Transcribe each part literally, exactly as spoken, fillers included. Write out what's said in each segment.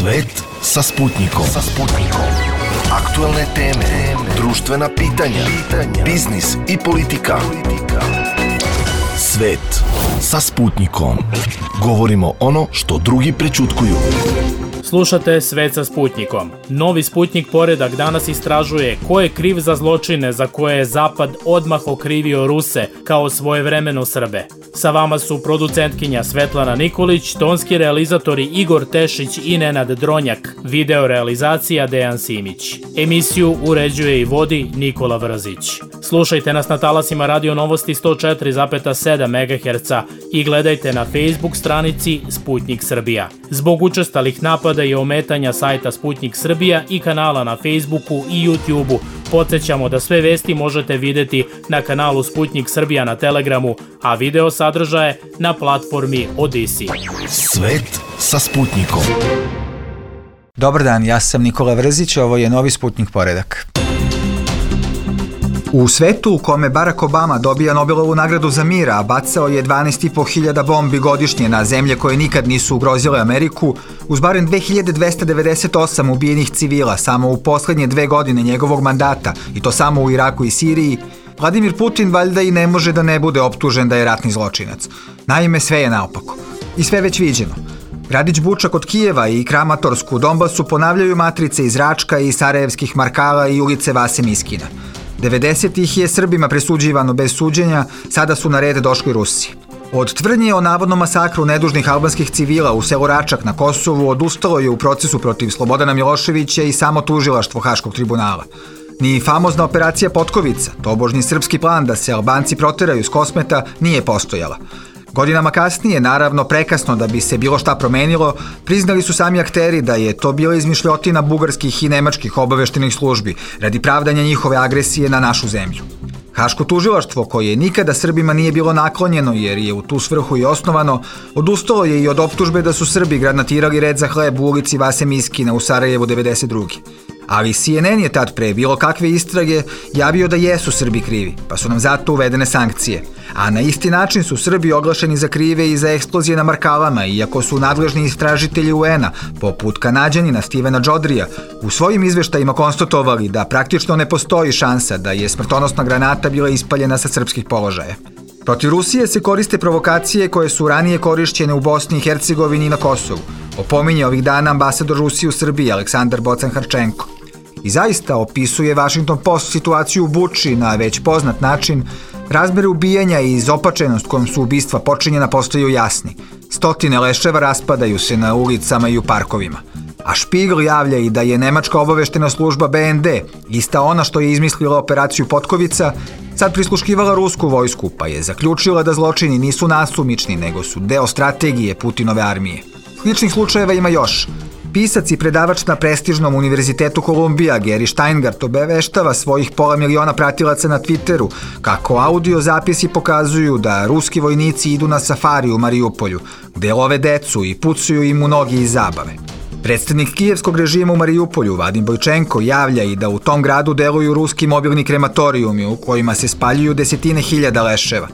Svet sa Sputnikom. Sa Sputnikom. Aktuelne teme, društvena pitanja, pitanja, biznis i politika. Svet sa Sputnikom. Govorimo ono što drugi prećutkuju. Slušate Svet sa Sputnikom. Novi Sputnik Poredak danas istražuje ko je kriv za zločine za koje je Zapad odmah okrivio Ruse kao svojevremeno Srbe. Sa vama su producentkinja Svetlana Nikolić, tonski realizatori Igor Tešić i Nenad Dronjak, video realizacija Dejan Simić. Emisiju uređuje i vodi Nikola Vrzić. Slušajte nas na talasima Radio Novosti sto četiri zarez sedam megaherca i gledajte na Facebook stranici Sputnik Srbija. Zbog učestalih napada i ometanja sajta Sputnik Srbija i kanala na Facebooku i YouTubeu, podsjećamo da sve vesti možete videti na kanalu Sputnik Srbija na Telegramu, a video sadržaje na platformi Odisi. Svet sa Sputnikom. Dobar dan, ja sam Nikola Vrzić, ovo je Novi Sputnik Poredak. U svetu u kome Barack Obama dobija Nobelovu nagradu za mir, a bacao je dvanaest i po hiljada bombi godišnje na zemlje koje nikad nisu ugrozile Ameriku, uz barem dve hiljade dvesta devedeset osam ubijenih civila samo u poslednje dve godine njegovog mandata, i to samo u Iraku i Siriji, Vladimir Putin valjda i ne može da ne bude optužen da je ratni zločinac. Naime, sve je naopako. I sve već viđeno. Gradić Buča kod Kijeva i Kramatorsk u Donbasu ponavljaju matrice iz Račka i sarajevskih Markala i ulice Vase Miskina. devedesetih je Srbima presuđivano bez suđenja, sada su na red došli Rusi. Od tvrdnje o navodnom masakru nedužnih albanskih civila u selu Račak na Kosovu odustalo je u procesu protiv Slobodana Miloševića i samo tužilaštvo Haškog tribunala. Ni famozna operacija Potkovica, tobožnji srpski plan da se Albanci proteraju s Kosmeta, nije postojala. Godinama kasnije, naravno prekasno da bi se bilo šta promenilo, priznali su sami akteri da je to bila izmišljotina bugarskih i nemačkih obaveštenih službi radi pravdanja njihove agresije na našu zemlju. Haško tužilaštvo, koje nikada Srbima nije bilo naklonjeno jer je u tu svrhu i osnovano, odustalo je i od optužbe da su Srbi granatirali red za hleb u ulici Vase Miskina u Sarajevu devedeset druge. Ali C N N je tad pre bilo kakve istrage javio da jesu Srbi krivi, pa su nam zato uvedene sankcije. A na isti način su Srbi oglašeni za krive i za eksplozije na Markalama, iako su nadležni istražitelji U N-a, poput Kanađanina Stevena Džodrija, u svojim izveštajima konstatovali da praktično ne postoji šansa da je smrtonosna granata bila ispaljena sa srpskih položaja. Protiv Rusije se koriste provokacije koje su ranije korišćene u Bosni i Hercegovini i na Kosovu, opominje ovih dana ambasador Rusije u Srbiji Aleksandar Bocan-Harčenko. I zaista opisuje Washington Post situaciju u Buči na već poznat način. Razmere ubijanja i izopačenost kojom su ubistva počinjena postaju jasni. Stotine leševa raspadaju se na ulicama i u parkovima. A Špigl javlja i da je nemačka obaveštena služba B N D, ista ona što je izmislila operaciju Potkovica, sad prisluškivala rusku vojsku, pa je zaključila da zločini nisu nasumični, nego su deo strategije Putinove armije. Sličnih slučajeva ima još. Pisac i predavač na prestižnom univerzitetu Kolumbija Gary Steingart obaveštava svojih pola miliona pratilaca na Twitteru kako audio zapisi pokazuju da ruski vojnici idu na safari u Marijupolju, gde love decu i pucuju im u nogi iz zabave. Predstavnik kijevskog režima u Marijupolju, Vadim Bojčenko, javlja i da u tom gradu deluju ruski mobilni krematorijumi u kojima se spaljuju desetine hiljada leševa.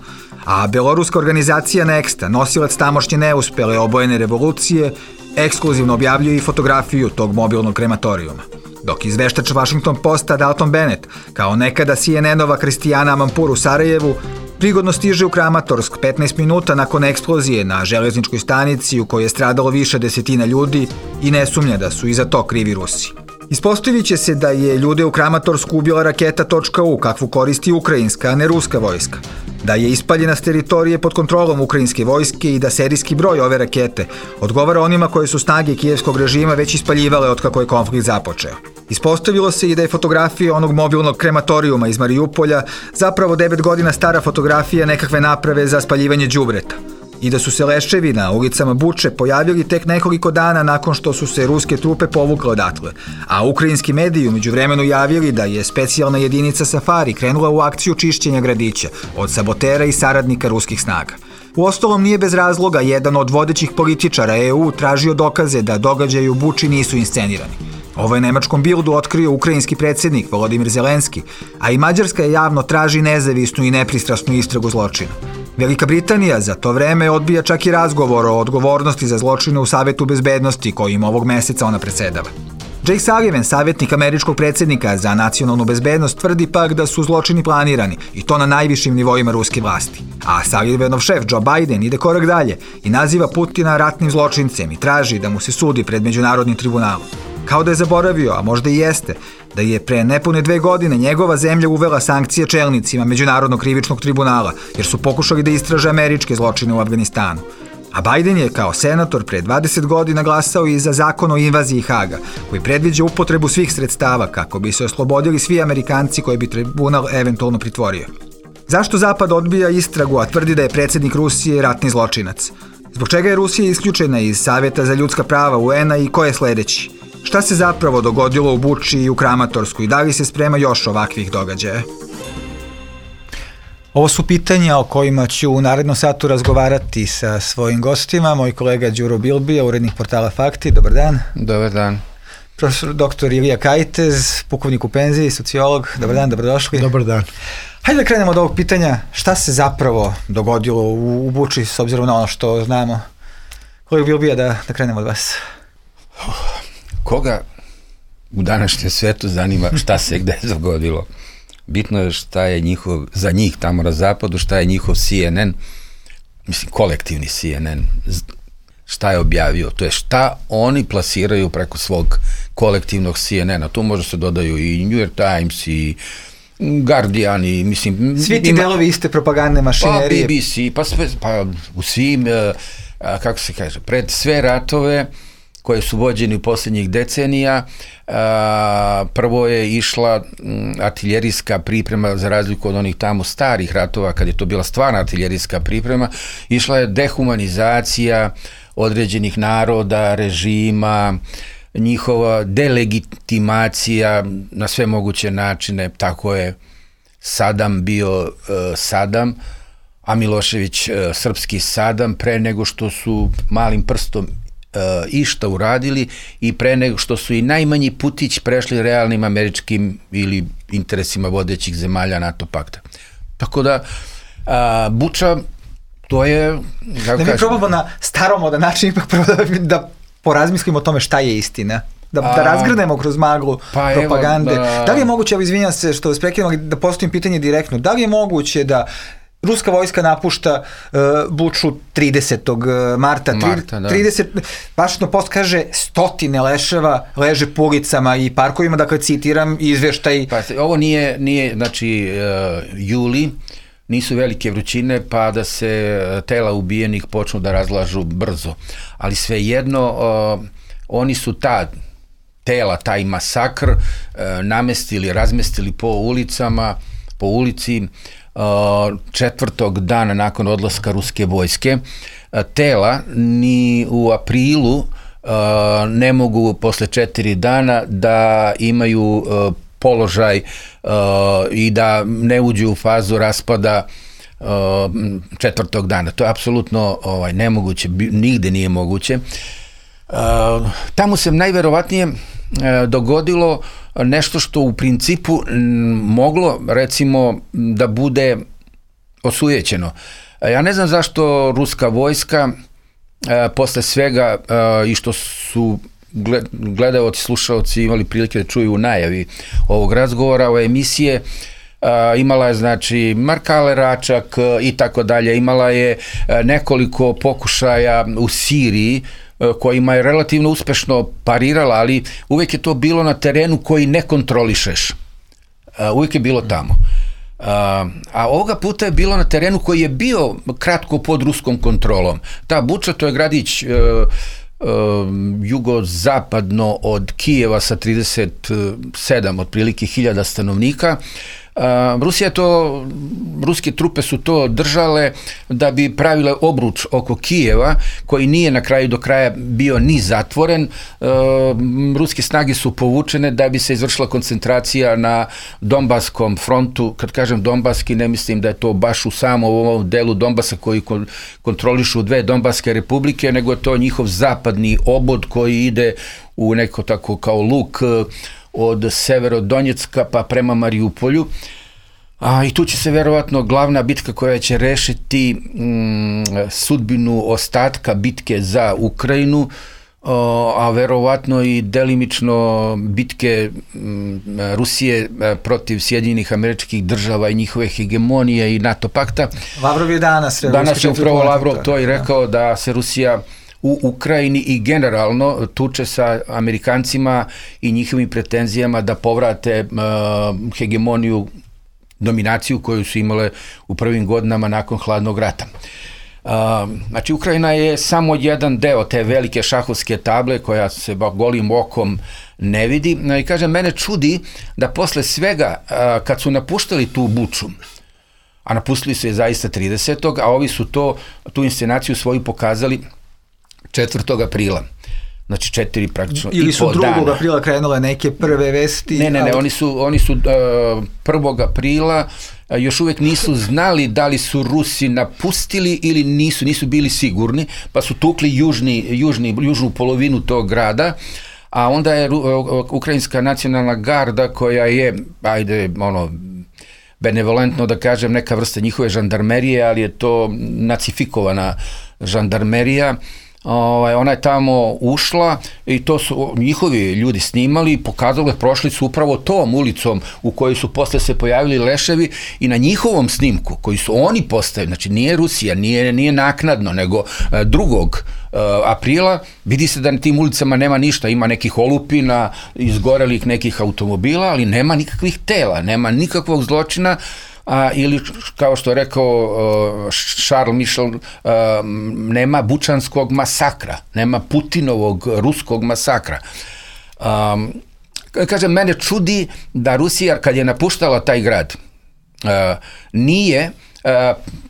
A beloruska organizacija Nexta, nosilac tamošnje neuspele obojene revolucije, ekskluzivno objavljuje i fotografiju tog mobilnog krematorijuma. Dok izveštač Washington Posta Dalton Bennett, kao nekada C N N-ova Kristijana Amampur u Sarajevu, prigodno stiže u Kramatorsk petnaest minuta nakon eksplozije na železničkoj stanici u kojoj je stradalo više desetina ljudi i ne sumnja da su i za to krivi Rusi. Ispostavit će se da je ljude u Kramatorsku ubila raketa .U, kakvu koristi ukrajinska, a ne ruska vojska. Da je ispaljena s teritorije pod kontrolom ukrajinske vojske i da serijski broj ove rakete odgovara onima koje su snage kijevskog režima već ispaljivale od kako je konflikt započeo. Ispostavilo se i da je fotografija onog mobilnog krematorijuma iz Marijupolja zapravo devet godina stara fotografija nekakve naprave za spaljivanje đubreta. I da su se leševi na ulicama Buče pojavili tek nekoliko dana nakon što su se ruske trupe povukle odatle, a ukrajinski mediji umeđu vremenu javili da je specijalna jedinica Safari krenula u akciju čišćenja gradića od sabotera i saradnika ruskih snaga. Uostalom nije bez razloga jedan od vodećih političara E U tražio dokaze da događaji u Buči nisu inscenirani. Ovo je nemačkom Bildu otkrio ukrajinski predsjednik Volodimir Zelenski, a i Mađarska javno traži nezavisnu i nepristrasnu istragu zločina. Velika Britanija za to vreme odbija čak i razgovor o odgovornosti za zločine u Savetu bezbednosti kojim ovog meseca ona presedava. Jake Sullivan, savjetnik američkog predsjednika za nacionalnu bezbednost, tvrdi pak da su zločini planirani i to na najvišim nivoima ruske vlasti. A Sullivanov šef Joe Biden ide korak dalje i naziva Putina ratnim zločincem i traži da mu se sudi pred međunarodnim tribunalom. Kao da je zaboravio, a možda i jeste, da je pre nepune dve godine njegova zemlja uvela sankcije čelnicima Međunarodnog krivičnog tribunala, jer su pokušali da istraže američke zločine u Afganistanu. A Biden je kao senator pre dvadeset godina glasao i za zakon o invaziji Haga, koji predviđa upotrebu svih sredstava kako bi se oslobodili svi Amerikanci koje bi tribunal eventualno pritvorio. Zašto Zapad odbija istragu, a tvrdi da je predsjednik Rusije ratni zločinac? Zbog čega je Rusija isključena iz Saveta za ljudska prava U N-a i ko je sledeći? Šta se zapravo dogodilo u Buči i u Kramatorsku i da li se sprema još ovakvih događaja? Ovo su pitanja o kojima ću u narednom satu razgovarati sa svojim gostima. Moj kolega Đuro Bilbija, urednik portala Fakti. Dobar dan. Dobar dan. Profesor doktor Ilija Kajtez, pukovnik u penziji, sociolog. Dobar dan, dobrodošli. Dobar dan. Hajde da krenemo od ovog pitanja. Šta se zapravo dogodilo u, u Buči s obzirom na ono što znamo? Kolega Bilbija, da, da krenemo od vas. Koga u današnjem svetu zanima šta se gde dogodilo? Bitno je šta je njihov, za njih tamo na zapadu, šta je njihov C N N, mislim kolektivni C N N, šta je objavio, to je šta oni plasiraju preko svog kolektivnog C N N-a. Tu možda se dodaju i New York Times i Guardian i mislim... Svi ti ima, delovi iste propagandne mašinerije. Pa B B C, pa, sve, pa u svim, a, kako se kaže, pred sve ratove koje su vođeni u posljednjih decenija, a, prvo je išla m, artiljerijska priprema, za razliku od onih tamo starih ratova, kad je to bila stvarna artiljerijska priprema, išla je dehumanizacija određenih naroda, režima, njihova delegitimacija na sve moguće načine. Tako je Sadam bio uh, Sadam, a Milošević uh, srpski Sadam, pre nego što su malim prstom uh, išta uradili i pre nego što su i najmanji putić prešli realnim američkim ili interesima vodećih zemalja NATO pakta. Tako da uh, Buča, to je... Da mi probamo na staromodan način ipak prvo da, da porazmislimo o tome šta je istina. Da, da razgrnemo kroz maglu pa propagande. Evo, da... da li je moguće, evo izvinjam se što vas prekidam, da postavim pitanje direktno, da li je moguće da ruska vojska napušta uh, Buču tridesetog marta, Marta da. trideset, Washington Post kaže stotine leševa leže po ulicama i parkovima, dakle citiram izveštaj. Pa, ovo nije, nije znači uh, juli, nisu velike vrućine, pa da se tela ubijenih počnu da razlažu brzo. Ali svejedno, uh, oni su ta tela, taj masakr uh, namestili, razmestili po ulicama, po ulici uh, četvrtog dana nakon odlaska ruske vojske. Uh, tela ni u aprilu uh, ne mogu posle četiri dana da imaju uh, položaj uh, i da ne uđu u fazu raspada uh, četvrtog dana. To je apsolutno ovaj, nemoguće, nigde nije moguće. Uh, tamo se najverovatnije uh, dogodilo nešto što u principu m, moglo recimo da bude osujećeno. Uh, ja ne znam zašto ruska vojska uh, posle svega uh, i što su gledalci, slušalci imali prilike da čuju u najavi ovog razgovora, ove emisije, uh, imala je znači Markale Račak uh, i tako dalje, imala je uh, nekoliko pokušaja u Siriji uh, kojima je relativno uspešno parirala, ali uvijek je to bilo na terenu koji ne kontrolišeš. Uh, uvijek je bilo tamo. Uh, a ovoga puta je bilo na terenu koji je bio kratko pod ruskom kontrolom. Ta Buča, to je gradić uh, Uh, jugozapadno od Kijeva sa trideset sedam otprilike hiljada stanovnika. Uh, Rusija to, ruske trupe su to držale da bi pravile obruč oko Kijeva, koji nije na kraju do kraja bio ni zatvoren. Uh, ruske snage su povučene da bi se izvršila koncentracija na Donbaskom frontu. Kad kažem Donbaski, ne mislim da je to baš u samom ovom delu Donbasa koji kontrolišu dve Donbaske republike, nego je to njihov zapadni obod koji ide u neko tako kao luk od Severodonjecka pa prema Mariupolju. A, I tu će se verovatno glavna bitka koja će rešiti mm, sudbinu ostatka bitke za Ukrajinu, a verovatno i delimično bitke Rusije protiv Sjedinjenih Američkih Država i njihove hegemonije i NATO pakta. Lavrov je danas. Danas je upravo Lavrov to i rekao da se Rusija u Ukrajini i generalno tuče sa Amerikancima i njihovim pretenzijama da povrate uh, hegemoniju, dominaciju koju su imale u prvim godinama nakon hladnog rata. Uh, znači, Ukrajina je samo jedan deo te velike šahovske table koja se golim okom ne vidi. I kažem, mene čudi da posle svega, uh, kad su napuštali tu Buču, a napustili su je zaista tridesetog a ovi su to, tu inscenaciju svoju pokazali četvrtog aprila. Znači četiri praktično ili i po dana. Ili su drugog aprila krenule neke prve vesti? Ne, ne, ne, ali... oni su, oni su uh, prvog aprila uh, još uvek nisu znali da li su Rusi napustili ili nisu, nisu bili sigurni, pa su tukli južni, južni, južnu polovinu tog grada, a onda je uh, Ukrajinska nacionalna garda koja je, ajde, ono, benevolentno da kažem, neka vrsta njihove žandarmerije, ali je to nacifikovana žandarmerija. Ovaj, ona je tamo ušla i to su njihovi ljudi snimali i pokazali, prošli su upravo tom ulicom u kojoj su posle se pojavili leševi i na njihovom snimku koji su oni postavili, znači nije Rusija, nije, nije naknadno, nego drugog aprila, vidi se da na tim ulicama nema ništa, ima nekih olupina, izgorelih nekih automobila, ali nema nikakvih tela, nema nikakvog zločina. A, ili kao što je rekao uh, Charles Michel, uh, nema bučanskog masakra, nema Putinovog ruskog masakra. Um, kažem, mene čudi da Rusija kad je napuštala taj grad uh, nije uh,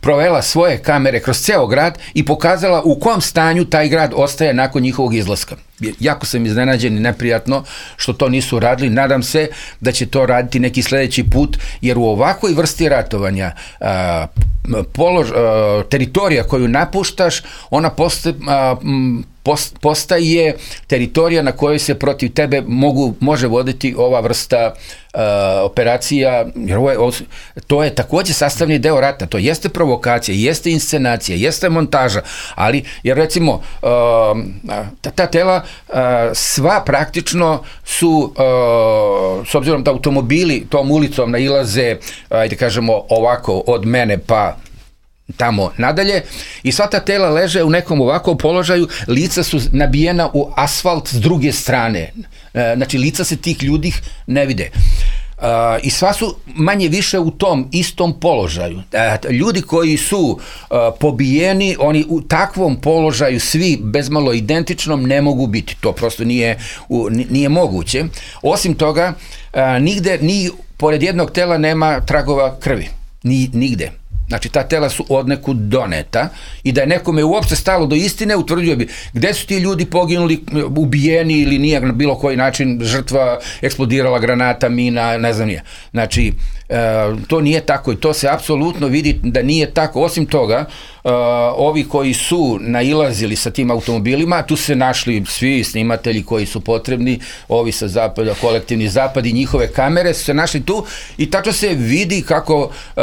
provela svoje kamere kroz ceo grad i pokazala u kom stanju taj grad ostaje nakon njihovog izlaska. Jako sam iznenađen i neprijatno što to nisu radili. Nadam se da će to raditi neki sledeći put, jer u ovakvoj vrsti ratovanja a, polož, a, teritorija koju napuštaš, ona postaje, a, post, postaje teritorija na kojoj se protiv tebe mogu, može voditi ova vrsta a, operacija, jer ovo je, ovo, to je takođe sastavni deo rata, to jeste provokacija, jeste inscenacija, jeste montaža, ali jer recimo a, ta, ta tela sva praktično su, s obzirom da automobili tom ulicom nailaze, ajde kažemo ovako, od mene pa tamo nadalje, i sva ta tela leže u nekom ovakvom položaju, lica su nabijena u asfalt s druge strane, znači lica se tih ljudi ne vide. Uh, i sva su manje više u tom istom položaju. Uh, ljudi koji su uh, pobijeni, oni u takvom položaju svi bezmalo identičnom ne mogu biti. To prosto nije, u, nije moguće. Osim toga, uh, nigde, ni pored jednog tela nema tragova krvi. Ni, nigde. Znači, ta tela su odnekud doneta i da je nekome uopšte stalo do istine, utvrđuje bi gde su ti ljudi poginuli, ubijeni ili nije na bilo koji način žrtva eksplodirala granata, mina, ne znam nije. Znači, e, to nije tako i to se apsolutno vidi da nije tako. Osim toga, e, ovi koji su nailazili sa tim automobilima, tu se našli svi snimatelji koji su potrebni, ovi sa zapada, kolektivni zapad i njihove kamere su se našli tu i tačno se vidi kako e,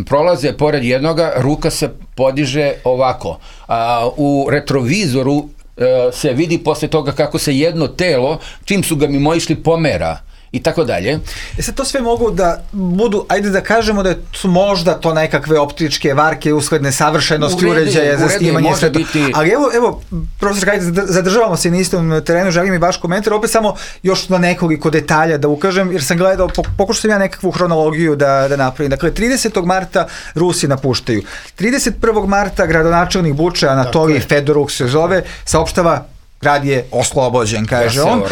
prolaze pored jednoga, ruka se podiže ovako. A, u retrovizoru e, se vidi posle toga kako se jedno telo, čim su ga mimo išli, pomera i tako dalje. E sad to sve mogu da budu, ajde da kažemo da su možda to nekakve optičke varke usled nesavršenosti uređaja za snimanje sve to. Biti... Ali evo, evo, profesor, ajde, zadržavamo se na istom terenu, želim i vaš komentar, opet samo još na nekoliko detalja da ukažem, jer sam gledao, pokušao sam ja nekakvu hronologiju da, da napravim. Dakle, tridesetog marta Rusi napuštaju. trideset prvog marta gradonačelnik Buče, Anatolij Fedoruk se zove, saopštava grad je oslobođen, kaže on.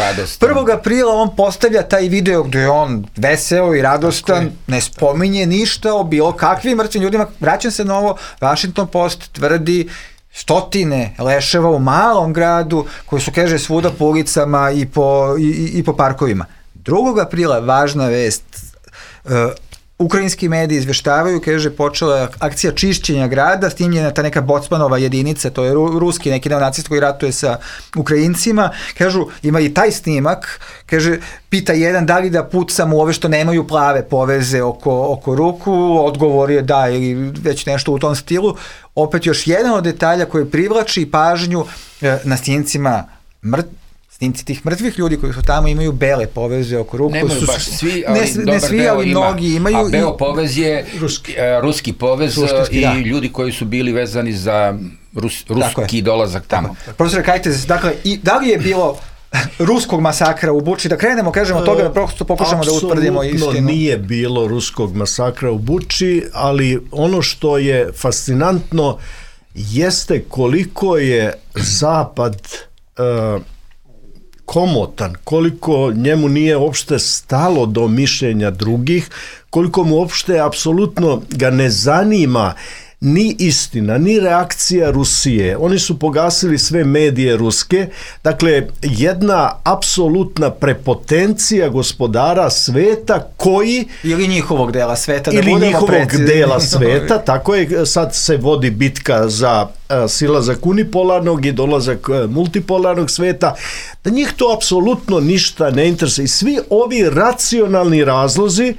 prvog aprila on postavlja taj video gde je on veseo i radostan, ne spominje ništa o bilo kakvim mrtvim ljudima. Vraćam se na ovo, Washington Post tvrdi stotine leševa u malom gradu koji su, kaže, svuda po ulicama i po, i, i po parkovima. drugog aprila važna vest, uh, Ukrajinski mediji izveštavaju, kaže, počela je akcija čišćenja grada, snimljena ta neka Bocmanova jedinica, to je ruski neki neonacist koji ratuje sa Ukrajincima, kažu, ima i taj snimak, kaže, pita jedan da li da pucam u ove što nemaju plave poveze oko, oko ruku, odgovor je da ili već nešto u tom stilu. Opet još jedan od detalja koji privlači pažnju na snimcima mrt, snimci tih mrtvih ljudi koji su tamo imaju bele poveze oko ruku. Nemaju su, baš svi, ali ne, dobar ne svi, deo ali ima, mnogi imaju. A beo povez je ruski, uh, ruski povez Suštinski, i da. Ljudi koji su bili vezani za Rus, ruski dolazak tamo. Profesor Kajtez, dakle, i da li je bilo ruskog masakra u Buči? Da krenemo, kažemo, od toga da prosto pokušamo da utvrdimo istinu. Apsolutno nije bilo ruskog masakra u Buči, ali ono što je fascinantno jeste koliko je Zapad uh, komotan, koliko njemu nije uopšte stalo do mišljenja drugih, koliko mu uopšte apsolutno ga ne zanima ni istina, ni reakcija Rusije. Oni su pogasili sve medije ruske. Dakle, jedna apsolutna prepotencija gospodara sveta koji... Ili njihovog dela sveta. Da ili njihovog precizni. dela sveta. Tako je, sad se vodi bitka za uh, silazak unipolarnog i dolazak uh, multipolarnog sveta. Da njih to apsolutno ništa ne interesuje. I svi ovi racionalni razlozi,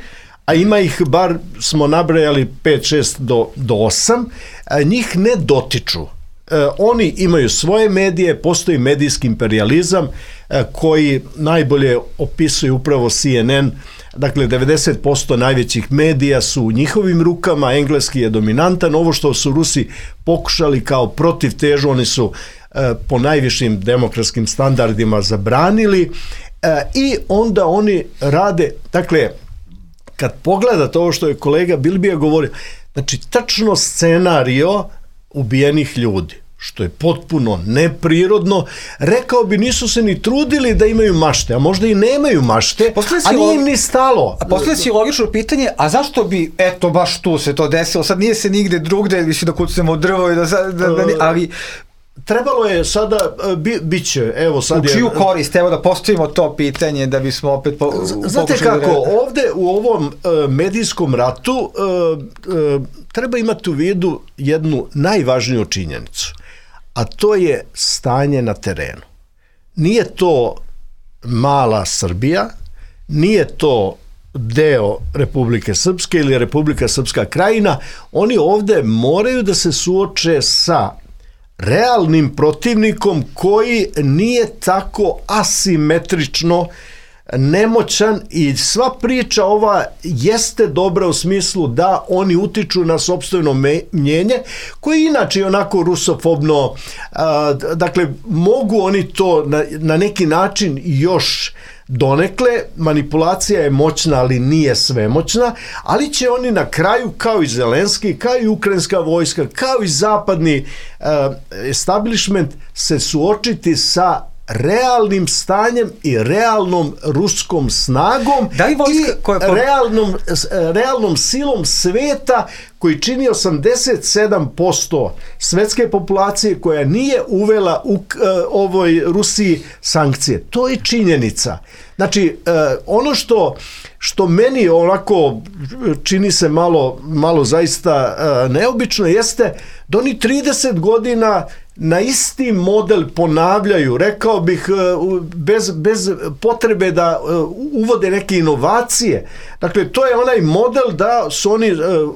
a ima ih, bar smo nabrajali pet šest do osam, njih ne dotiču. E, oni imaju svoje medije, postoji medijski imperializam e, koji najbolje opisuje upravo C N N, dakle devedeset posto najvećih medija su u njihovim rukama, engleski je dominantan, ovo što su Rusi pokušali kao protivtežu, oni su e, po najvišim demokratskim standardima zabranili e, i onda oni rade, dakle, kad pogledate ovo što je kolega Bilbija govorio, znači tačno scenario ubijenih ljudi, što je potpuno neprirodno, rekao bi nisu se ni trudili da imaju mašte, a možda i nemaju mašte, a nije im ni stalo. A postoje si logično pitanje, a zašto bi, eto, baš tu se to desilo, sad nije se nigde drugde, više da kucamo drvo i da, da, da ali... Trebalo je sada, bi, bit će, evo sad je... U čiju korist, evo da postavimo to pitanje da bismo opet po, znate kako, da... ovde u ovom uh, medijskom ratu uh, uh, treba imati u vidu jednu najvažniju činjenicu, a to je stanje na terenu. Nije to mala Srbija, nije to deo Republike Srpske ili Republika Srpska Krajina, oni ovde moraju da se suoče sa realnim protivnikom koji nije tako asimetrično nemoćan i sva priča ova jeste dobra u smislu da oni utiču na sopstveno mnjenje koje inače je onako rusofobno, a, dakle mogu oni to na, na neki način još donekle, manipulacija je moćna, ali nije svemoćna, ali će oni na kraju, kao i Zelenski, kao i ukrajinska vojska, kao i zapadni uh, establishment, se suočiti sa realnim stanjem i realnom ruskom snagom da li vojska, i koja po... realnom, realnom silom sveta koji čini osamdeset sedam posto svetske populacije koja nije uvela u uh, ovoj Rusiji sankcije. To je činjenica. Znači, uh, ono što, što meni onako čini se malo, malo zaista uh, neobično jeste da oni trideset godina na isti model ponavljaju, rekao bih, bez, bez potrebe da uvode neke inovacije. Dakle, to je onaj model da su oni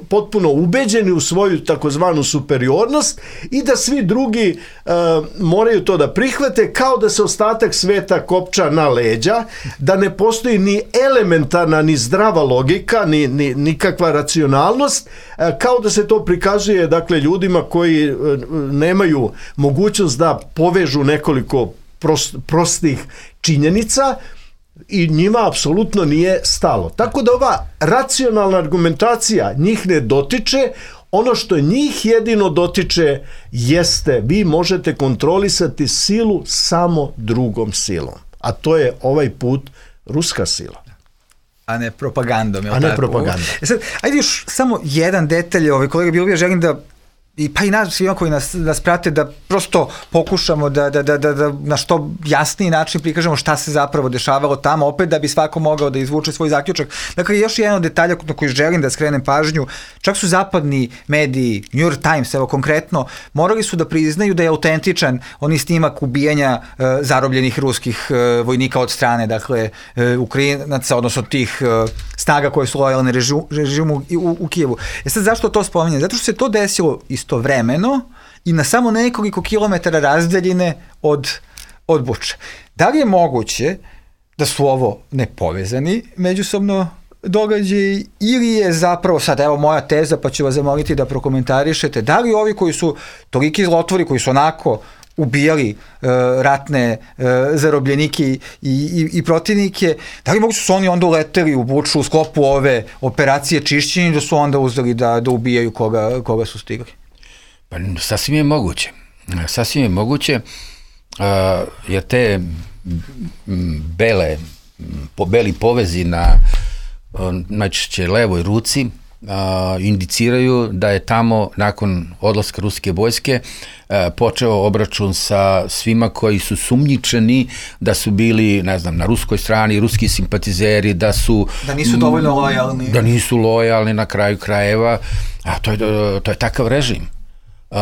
potpuno ubeđeni u svoju takozvanu superiornost i da svi drugi uh, moraju to da prihvate, kao da se ostatak sveta kopča na leđa, da ne postoji ni elementarna, ni zdrava logika, ni, ni nikakva racionalnost, uh, kao da se to prikazuje, dakle, ljudima koji uh, nemaju mogućnost da povežu nekoliko prost, prostih činjenica i njima apsolutno nije stalo. Tako da ova racionalna argumentacija njih ne dotiče, ono što njih jedino dotiče jeste vi možete kontrolisati silu samo drugom silom, a to je ovaj put ruska sila. A ne propagandom. A ne propagandom. E sad, ajde još samo jedan detalj, ovaj kolega Bilbija, želim da i pa i nas, svima koji nas, nas prate, da prosto pokušamo da, da, da, da, da na što jasniji način prikažemo šta se zapravo dešavalo tamo, opet da bi svako mogao da izvuče svoj zaključak. Dakle, još jedan od detalja na koji želim da skrenem pažnju, čak su zapadni mediji, New York Times, evo konkretno, morali su da priznaju da je autentičan oni snimak ubijanja e, zarobljenih ruskih e, vojnika od strane, dakle, e, Ukrajinaca, odnosno tih e, snaga koje su lojalne režimu, režimu u, u Kijevu. E sad, zašto to spominjem? Zato što se to desilo istovremeno i na samo nekoliko kilometara razdaljine od, od Buče. Da li je moguće da su ovo nepovezani međusobno događaji ili je zapravo, sad evo moja teza pa ću vas zamoliti da prokomentarišete, da li ovi koji su toliki zlotvori, koji su onako ubijali uh, ratne uh, zarobljenike i, i, i protivnike, da li mogu su oni onda uleteli u Buču u sklopu ove operacije čišćenja da su onda uzeli da, da ubijaju koga, koga su stigli? Pa sasvim je moguće. Sasvim je moguće, uh, jer te bele, po, beli povezi na uh, najčešće levoj ruci Uh, indiciraju da je tamo nakon odlaska ruske vojske uh, počeo obračun sa svima koji su sumnjičeni da su bili, ne znam, na ruskoj strani, ruski simpatizeri, da su... Da nisu dovoljno lojalni. Da nisu lojalni na kraju krajeva, a to je, to je takav režim. Uh,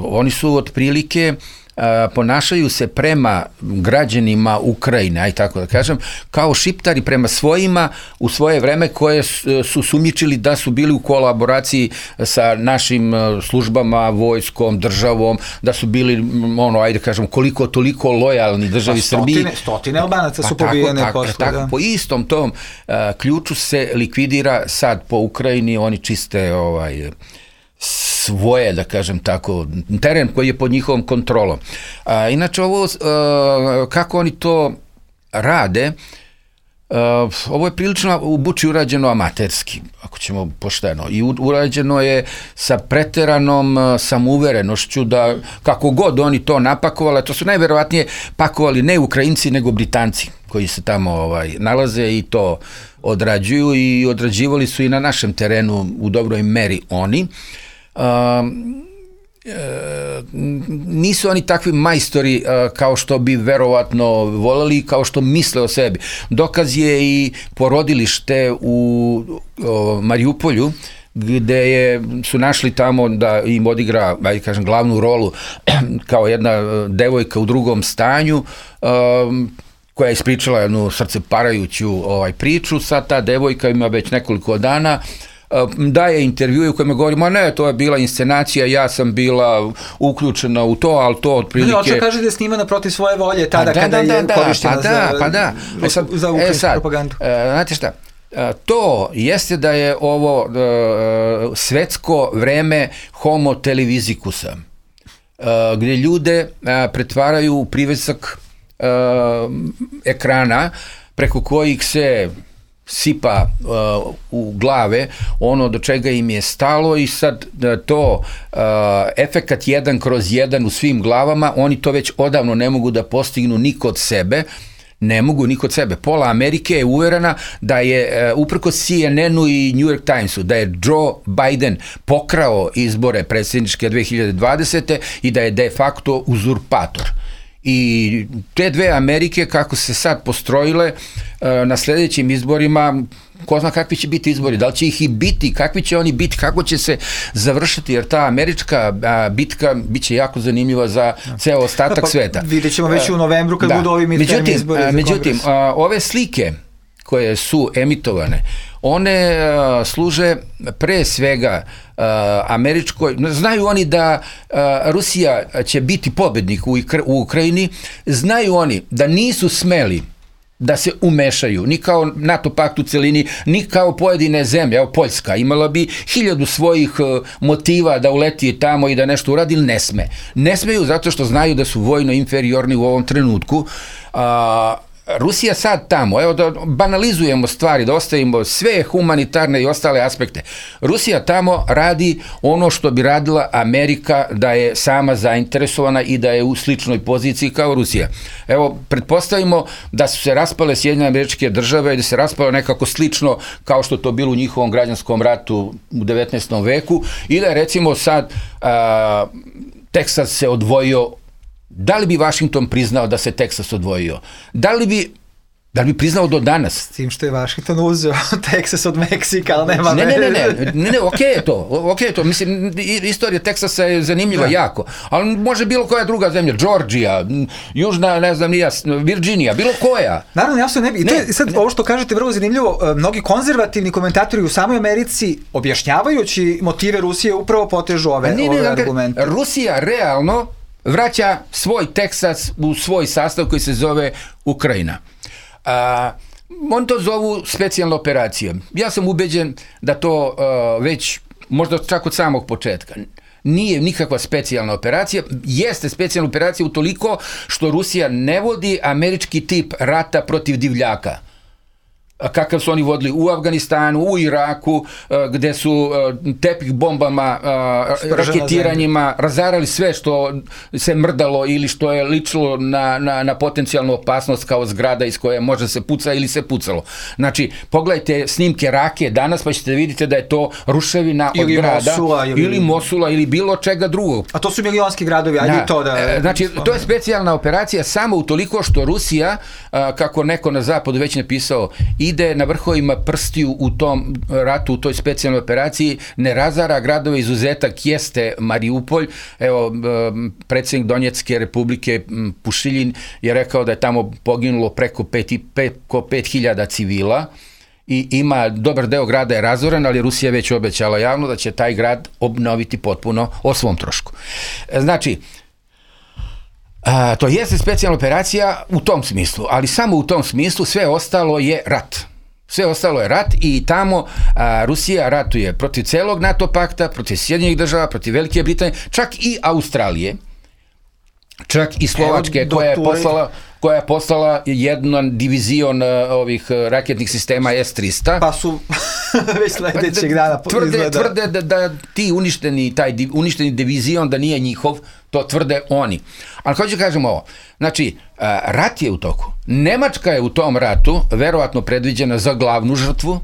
oni su otprilike Uh, ponašaju se prema građanima Ukrajine, aj tako da kažem, kao šiptari prema svojima u svoje vreme koje su, su sumnjičili da su bili u kolaboraciji sa našim službama, vojskom, državom, da su bili, ono, ajde kažem, koliko toliko lojalni državi pa stotine, Srbiji. Stotine Albanaca pa su pobijene tako, posle. Tako, da. Po istom tom uh, ključu se likvidira sad po Ukrajini, oni čiste ovaj svoje, da kažem tako, teren koji je pod njihovom kontrolom. A, inače, ovo, a, kako oni to rade, a, ovo je prilično u Buči urađeno amaterski, ako ćemo pošteno, i urađeno je sa preteranom a, samouverenošću da kako god oni to napakovali, to su najverovatnije pakovali ne Ukrajinci, nego Britanci koji se tamo ovaj, nalaze i to odrađuju i odrađivali su i na našem terenu u dobroj meri oni. Um, e, nisu oni takvi majstori uh, kao što bi verovatno voleli, kao što misle o sebi. Dokaz je i porodilište u o, Mariupolju, gde je, su našli tamo da im odigra, ajde kažem, glavnu rolu kao jedna devojka u drugom stanju, um, koja je ispričala jednu srceparajuću ovaj, priču. Sad ta devojka ima već nekoliko dana daje intervjue u kojima govori, ma ne, to je bila inscenacija, ja sam bila uključena u to, ali to otprilike... Ne, oče kaže da je snimana protiv svoje volje tada da, kada da, je da, korištena pa za, da, pa da. E sad, za ukrajinsku e sad, propagandu. E, znate šta, e, to jeste da je ovo e, svetsko vreme homo televizikusa, e, gdje ljude e, pretvaraju u privesak e, ekrana preko kojih se sipa uh, u glave ono do čega im je stalo i sad to uh, efekat jedan kroz jedan u svim glavama, oni to već odavno ne mogu da postignu ni kod sebe, ne mogu ni kod sebe. Pola Amerike je uverena da je uh, uprkos C N N-u i New York Timesu da je Joe Biden pokrao izbore predsjedničke dve hiljade dvadesete i da je de facto uzurpator. I te dve Amerike kako se sad postrojile na sljedećim izborima, ko zna kakvi će biti izbori, da li će ih i biti, kakvi će oni biti, kako će se završiti, jer ta američka bitka bit će jako zanimljiva za ceo ostatak pa, sveta. Vidjet ćemo već u novembru kad da. budu ovi midterm izbori za međutim, a, ove slike koje su emitovane, one a, služe pre svega a, američkoj, znaju oni da a, Rusija će biti pobednik u, u Ukrajini, znaju oni da nisu smeli da se umešaju, ni kao NATO pakt u celini, ni kao pojedine zemlje, evo Poljska, imala bi hiljadu svojih uh, motiva da uleti tamo i da nešto uradi, ili ne sme. Ne smeju zato što znaju da su vojno inferiorni u ovom trenutku, a Rusija sad tamo, evo da banalizujemo stvari, da ostavimo sve humanitarne i ostale aspekte. Rusija tamo radi ono što bi radila Amerika da je sama zainteresovana i da je u sličnoj poziciji kao Rusija. Evo, pretpostavimo da su se raspale Sjedinjene Američke Države i da se raspalo nekako slično kao što to bilo u njihovom građanskom ratu u devetnaestom veku i da je recimo sad a, Teksas se odvojio. Da li bi Vašington priznao da se Teksas odvojio? Da li bi, da li bi priznao do danas? S tim što je Vašington uzeo Teksas od Meksika, ali nema... Ne, ne, ne, ne, ne, ne, okej je to, okej je to, mislim, istorija Teksasa je zanimljiva da. jako, ali može bilo koja druga zemlja, Georgija, Južna, ne znam, nija, Virginija, bilo koja. Naravno, jasno ne bi, i to je sad ne. Ovo što kažete vrlo zanimljivo, mnogi konzervativni komentatori u samoj Americi, objašnjavajući motive Rusije, upravo potežu ove, ne, ove ne, argumente. Rusija realno vraća svoj Teksas u svoj sastav koji se zove Ukrajina. A, on to zovu specijalna operacija. Ja sam ubeđen da to a, već, možda čak od samog početka, nije nikakva specijalna operacija, jeste specijalna operacija utoliko što Rusija ne vodi američki tip rata protiv divljaka. Kakav su oni vodili u Afganistanu, u Iraku, gde su tepih bombama, raketiranjima razarali sve što se mrdalo ili što je ličilo na, na, na potencijalnu opasnost kao zgrada iz koje može se puca ili se pucalo. Znači, pogledajte snimke Rake danas pa ćete vidjeti da je to ruševina ili od grada Mosula, ili... ili Mosula ili bilo čega drugog. A to su milionski gradovi, ajde to da... Znači, to je specijalna operacija samo utoliko što Rusija, kako neko na zapadu već napisao, ide na vrhovima prstiju u tom ratu, u toj specijalnoj operaciji, ne razara gradove, izuzetak jeste Mariupolj. Evo, predsjednik Donjecke republike Pušiljin je rekao da je tamo poginulo preko pet, preko pet hiljada civila i ima, dobar deo grada je razoren, ali Rusija već obećala javno da će taj grad obnoviti potpuno o svom trošku. Znači, A, to jeste specijalna operacija u tom smislu, ali samo u tom smislu, sve ostalo je rat. Sve ostalo je rat i tamo a, Rusija ratuje protiv celog NATO pakta, protiv Sjedinjenih država, protiv Velike Britanije, čak i Australije, čak i Slovačke, Evo, koja je poslala koja je poslala jedan divizion uh, ovih uh, raketnih sistema S tristo. Pa su već sledećeg dana tvrde, izgleda. Tvrde da, da ti uništeni, taj div, uništeni divizion da nije njihov, to tvrde oni. Ali hoću kažem ovo, znači, uh, rat je u toku. Nemačka je u tom ratu verovatno predviđena za glavnu žrtvu.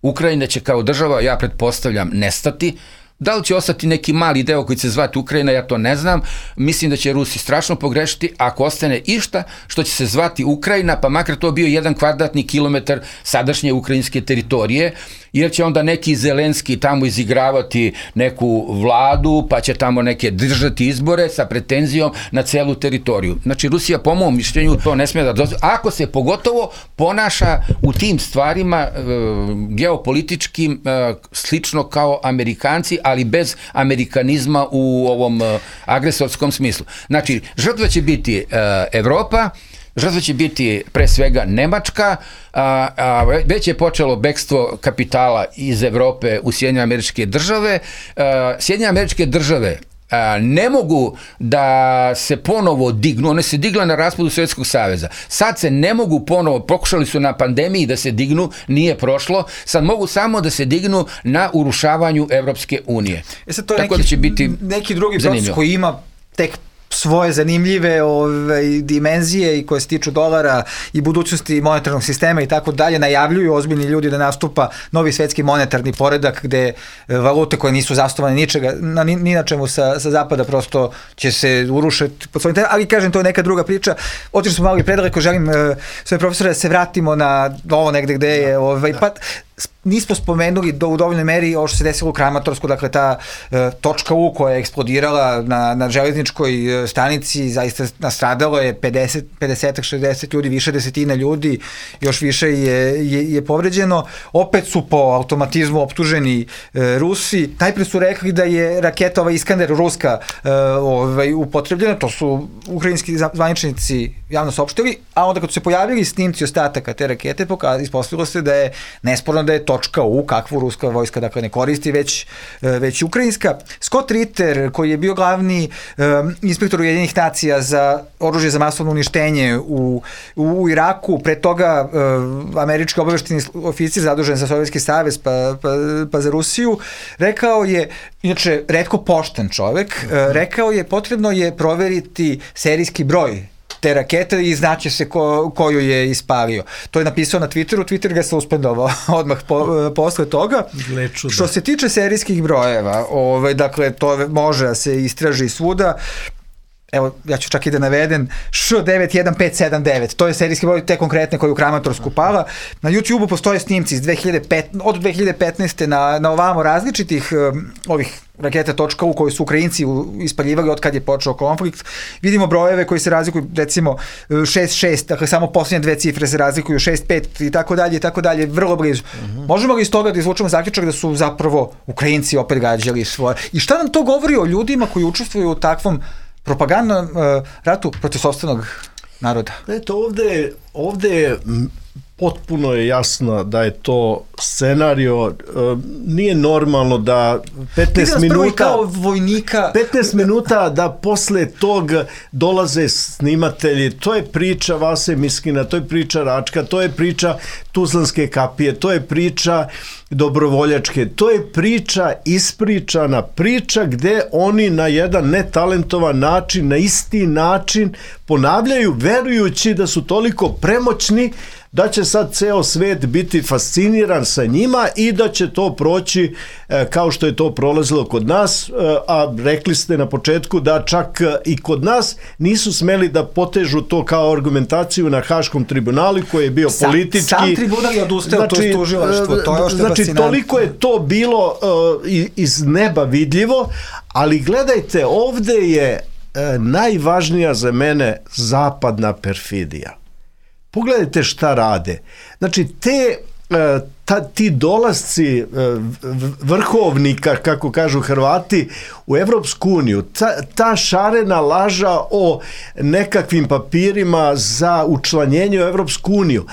Ukrajina će kao država, ja pretpostavljam, nestati. Da li će ostati neki mali deo koji će se zvati Ukrajina, ja to ne znam. Mislim da će Rusi strašno pogrešiti ako ostane išta što će se zvati Ukrajina, pa makar to bio jedan kvadratni kilometar sadašnje ukrajinske teritorije, jer će onda neki Zelenski tamo izigravati neku vladu, pa će tamo neke držati izbore sa pretenzijom na celu teritoriju. Znači, Rusija, po mom mišljenju, to ne smije da dozvoli. Ako se pogotovo ponaša u tim stvarima e, geopolitičkim e, slično kao Amerikanci, ali bez amerikanizma u ovom e, agresorskom smislu. Znači, žrtva će biti e, Evropa, žrtva će biti pre svega Nemačka, a, a već je počelo bekstvo kapitala iz Evrope u Sjedinjene Američke Države. A, Sjedinjene Američke Države a, ne mogu da se ponovo dignu, one se digla na raspadu Sovjetskog saveza. Sad se ne mogu ponovo, pokušali su na pandemiji da se dignu, nije prošlo, sad mogu samo da se dignu na urušavanju Evropske unije. E sad to je Tako neki, da će biti neki drugi proces zanimljivo. Koji ima tek svoje zanimljive ove, dimenzije i koje se tiču dolara i budućnosti monetarnog sistema i tako dalje, najavljuju ozbiljni ljudi da nastupa novi svetski monetarni poredak gde valute koje nisu zasnovane ničega, na, ni, ni na čemu sa, sa zapada prosto će se urušiti pod svojim terenom, ali kažem, to je neka druga priča. Otišli smo malo i predaleko, želim uh, svoje profesore da se vratimo na ovo negde gde je, ovaj, pa nismo spomenuli do, u dovoljnoj meri ovo što se desilo u Kramatorsku, dakle ta e, točka U koja je eksplodirala na, na železničkoj e, stanici, zaista nastradalo je pedeset, pedeset, šezdeset ljudi, više desetina ljudi, još više je, je, je povređeno. Opet su po automatizmu optuženi e, Rusi. Najpre su rekli da je raketa ova Iskander ruska e, ovaj, upotrebljena, to su ukrajinski zvaničnici javno saopštili, a onda kad su se pojavili snimci ostataka te rakete, ispostavilo se da je nesporno da da je .u, kakvu ruska vojska dakle ne koristi, već, već ukrajinska. Scott Ritter, koji je bio glavni um, inspektor Ujedinjenih nacija za oružje za masovno uništenje u, u Iraku, pre toga um, američki obavešteni oficir zadužen za Sovjetski savez pa, pa, pa za Rusiju, rekao je, inače retko pošten čovek, uh, rekao je potrebno je proveriti serijski broj te rakete i znaće se ko, koju je ispalio. To je napisao na Twitteru, Twitter ga se uspendovao odmah po, posle toga. Gleču, što se tiče serijskih brojeva, ovaj, dakle, to može da se istraži svuda. Evo, ja ću čak i da navedem š devet jedan pet sedam devet, to je serijski broj te konkretne koju Kramatorsku pala. Na YouTube-u postoje snimci iz dve hiljade petnaeste, od dve hiljade petnaeste na, na ovamo različitih um, ovih raketa .u koji su Ukrajinci ispaljivali od kad je počeo konflikt. Vidimo brojeve koji se razlikuju, recimo šest šest, dakle samo posljednje dve cifre se razlikuju, šest pet i tako dalje i tako dalje, vrlo blizu. Uh-huh. Možemo li iz toga da izvučemo zaključak da su zapravo Ukrajinci opet gađali svoje? I šta nam to govori o ljudima koji učestvuju u takvom propagandnom uh, ratu protiv sopstvenog naroda? Eto, ovde, ovde potpuno je jasno da je to scenario, uh, nije normalno da petnaest minuta kao vojnika petnaest minuta da posle tog dolaze snimatelji, to je priča Vase Miskina, to je priča Račka, to je priča Tuzlanske kapije, to je priča dobrovoljačke, to je priča ispričana, priča gde oni na jedan netalentovan način, na isti način ponavljaju, verujući da su toliko premoćni da će sad ceo svet biti fasciniran sa njima i da će to proći e, kao što je to prolazilo kod nas, e, a rekli ste na početku da čak i kod nas nisu smeli da potežu to kao argumentaciju na Haškom tribunalu koji je bio sam, politički. Sam tribunal je odustao, znači, to je tužilaštvo, to je ošto znači, fascinantno. Toliko je to bilo uh, iz neba vidljivo, ali gledajte, ovde je uh, najvažnija za mene zapadna perfidija. Pogledajte šta rade. Znači, te, ta, ti dolasci vrhovnika, kako kažu Hrvati, u Evropsku uniju, ta, ta šarena laža o nekakvim papirima za učlanjenje u Evropsku uniju,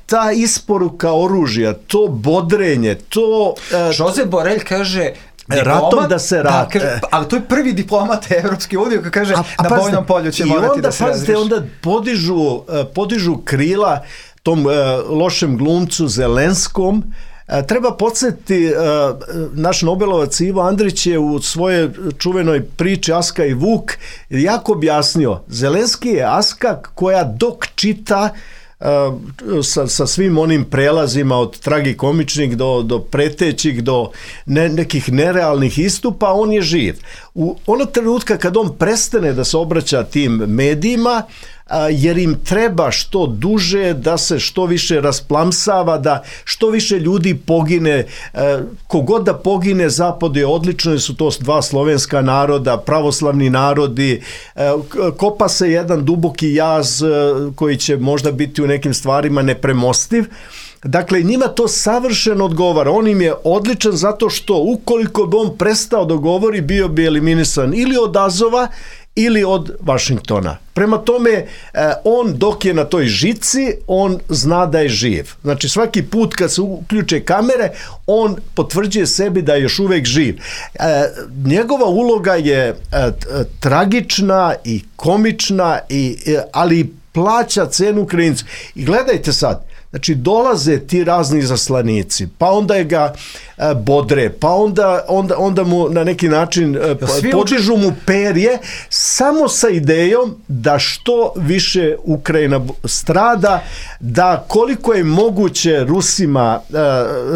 ta isporuka oružja, to bodrenje, to... Josep Borrell kaže... ratom da se radi. Da, ali to je prvi diplomat Evropske unije koji kaže a, a na bojnom polju će morati da se razreši. I onda, onda podižu, podižu krila tom uh, lošem glumcu Zelenskom. Uh, treba podsjetiti, uh, naš Nobelovac Ivo Andrić je u svojoj čuvenoj priči Aska i Vuk jako objasnio. Zelenski je Aska koja dok čita Sa, sa svim onim prelazima od tragikomičnih do, do pretećih, do ne, nekih nerealnih istupa, on je živ. U onog trenutka kad on prestane da se obraća tim medijima, a, jer im treba što duže da se što više rasplamsava, da što više ljudi pogine, a, kogod da pogine, Zapad je odlično, su to dva slovenska naroda, pravoslavni narodi, a, kopa se jedan duboki jaz a, koji će možda biti u nekim stvarima nepremostiv. Dakle, njima to savršeno odgovara. On im je odličan zato što ukoliko bi on prestao da govori, bio bi eliminisan ili od Azova ili od Vašingtona. Prema tome, on dok je na toj žici, on zna da je živ. Znači, svaki put kad se uključe kamere, on potvrđuje sebi da je još uvek živ. Njegova uloga je tragična i komična, i, ali plaća cenu Ukrajincu. I gledajte sad, znači dolaze ti razni zaslanici, pa onda je ga e, bodre, pa onda, onda, onda mu na neki način e, podižu mu perje samo sa idejom da što više Ukrajina strada, da koliko je moguće Rusima, e,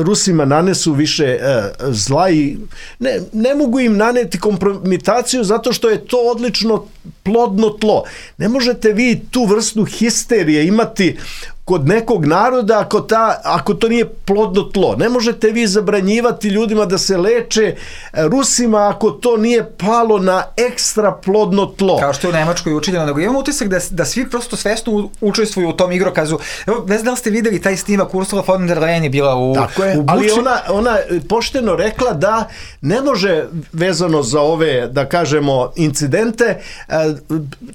Rusima nanesu više e, zla i ne, ne mogu im naneti kompromitaciju zato što je to odlično plodno tlo. Ne možete vi tu vrstu histerije imati kod nekog naroda ako, ta, ako to nije plodno tlo. Ne možete vi zabranjivati ljudima da se leče Rusima ako to nije palo na ekstra plodno tlo. Kao što je u Nemačkoj učinjeno, nego imam utisak da, da svi prosto svesno učestvuju u tom igrokazu. Evo, ne znam da li ste videli taj snimak, Ursula von der Leyen je bila u, Tako je, u Buči. Ali ona, ona pošteno rekla da ne može vezano za ove, da kažemo, incidente,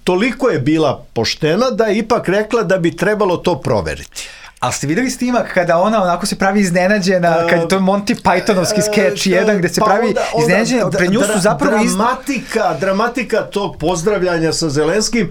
toliko je bila poštena da je ipak rekla da bi trebalo to proveriti. Ali ste videli snimak kada ona onako se pravi iznenađena, uh, kad je to Monty Pythonovski skeč uh, jedan gde se pa pravi onda, iznenađena, pre nju su zapravo... Dramatika, iz... dramatika tog pozdravljanja sa Zelenskim,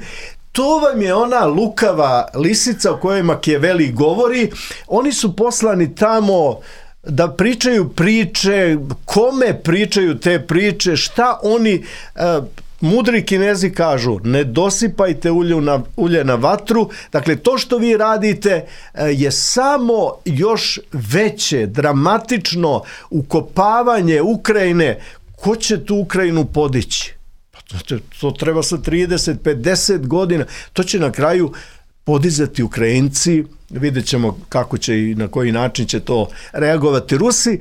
to vam je ona lukava lisica o kojoj Makijaveli govori. Oni su poslani tamo da pričaju priče, kome pričaju te priče, šta oni... Uh, Mudri Kinezi kažu, ne dosipajte ulje na, ulje na vatru. Dakle, to što vi radite je samo još veće, dramatično ukopavanje Ukrajine. Ko će tu Ukrajinu podići? Pa to, to treba sa trideset pedeset godina. To će na kraju podizati Ukrajinci. Vidjet ćemo kako će i na koji način će to reagovati Rusi.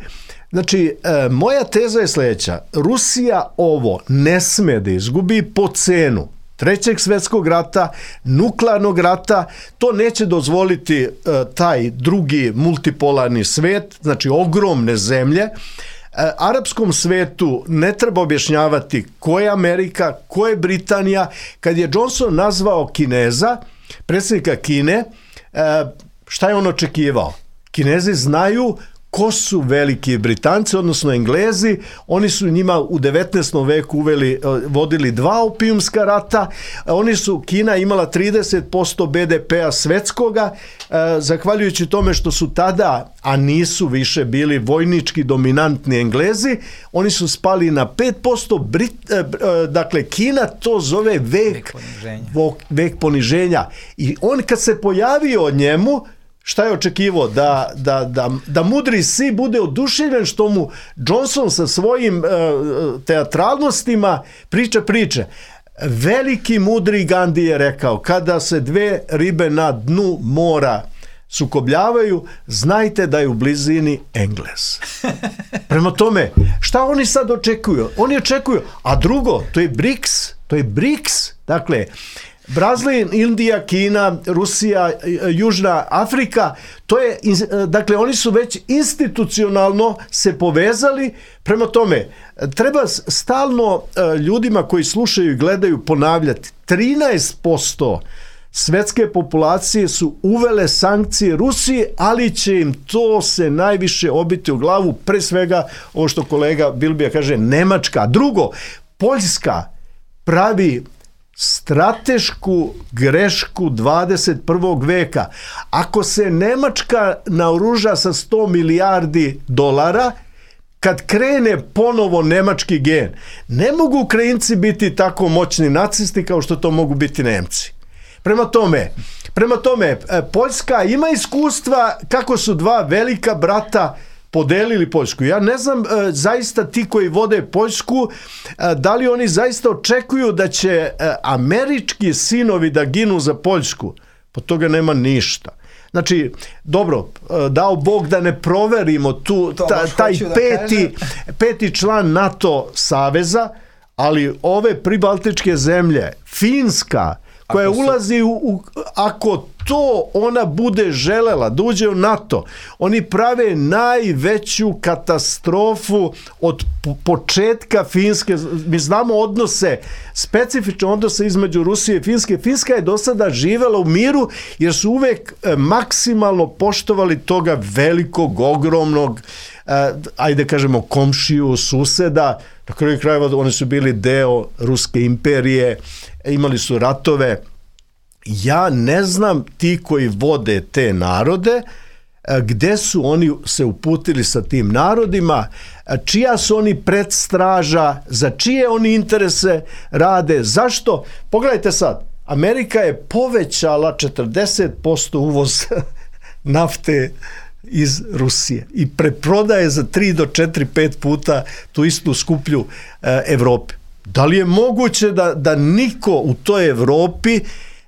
Znači, e, moja teza je sljedeća. Rusija ovo ne sme da izgubi po cenu Trećeg svjetskog rata, nuklearnog rata. To neće dozvoliti e, taj drugi multipolarni svet, znači ogromne zemlje. E, arapskom svetu ne treba objašnjavati ko je Amerika, ko je Britanija. Kad je Johnson nazvao Kineza, predsjednika Kine, e, šta je on očekivao? Kinezi znaju ko su veliki Britanci, odnosno Englezi. Oni su njima u devetnaestom veku uveli, vodili dva opijumska rata. Oni su, Kina imala trideset posto be de pea svetskoga, zahvaljujući tome što su tada, a nisu više bili vojnički dominantni Englezi, oni su spali na pet posto. Brit, dakle, Kina to zove vek, vek poniženja. Vek poniženja. I on kad se pojavio od njemu, šta je očekivao? Da, da, da, da mudri si bude oduševljen što mu Johnson sa svojim uh, teatralnostima priča priče. Veliki mudri Gandhi je rekao, kada se dve ribe na dnu mora sukobljavaju, znajte da je u blizini Englez. Prema tome, šta oni sad očekuju? Oni očekuju, a drugo, to je BRICS, to je BRICS, dakle, Brazil, Indija, Kina, Rusija, Južna Afrika, to je, dakle, oni su već institucionalno se povezali. Prema tome, treba stalno ljudima koji slušaju i gledaju ponavljati, trinaest posto svetske populacije su uvele sankcije Rusiji, ali će im to se najviše obiti u glavu, pre svega ovo što kolega Bilbija kaže, Nemačka. Drugo, Poljska pravi stratešku grešku dvadeset prvog veka. Ako se Nemačka naoruža sa sto milijardi dolara, kad krene ponovo nemački gen, ne mogu Ukrajinci biti tako moćni nacisti kao što to mogu biti Nemci. Prema tome, prema tome, Poljska ima iskustva kako su dva velika brata podelili Poljsku. Ja ne znam, e, zaista ti koji vode Poljsku, e, da li oni zaista očekuju da će e, američki sinovi da ginu za Poljsku? Po toga nema ništa. Znači, dobro, e, dao Bog da ne proverimo tu, ta, taj peti, peti član NATO saveza, ali ove pribaltičke zemlje, Finska, koja su... ulazi u, u, ako to ona bude želela da uđe u NATO, oni prave najveću katastrofu od početka Finske. Mi znamo odnose, specifične odnose između Rusije i Finske. Finska je do sada živela u miru jer su uvek maksimalno poštovali toga velikog, ogromnog, ajde kažemo komšiju, suseda. Na kraju krajeva oni su bili deo Ruske imperije, imali su ratove. Ja ne znam ti koji vode te narode, gde su oni se uputili sa tim narodima, čija su oni predstraža, za čije oni interese rade, zašto? Pogledajte sad, Amerika je povećala četrdeset posto uvoz nafte iz Rusije i preprodaje za tri do četiri, pet puta tu istu skuplju e, Evropi. Da li je moguće da, da niko u toj Evropi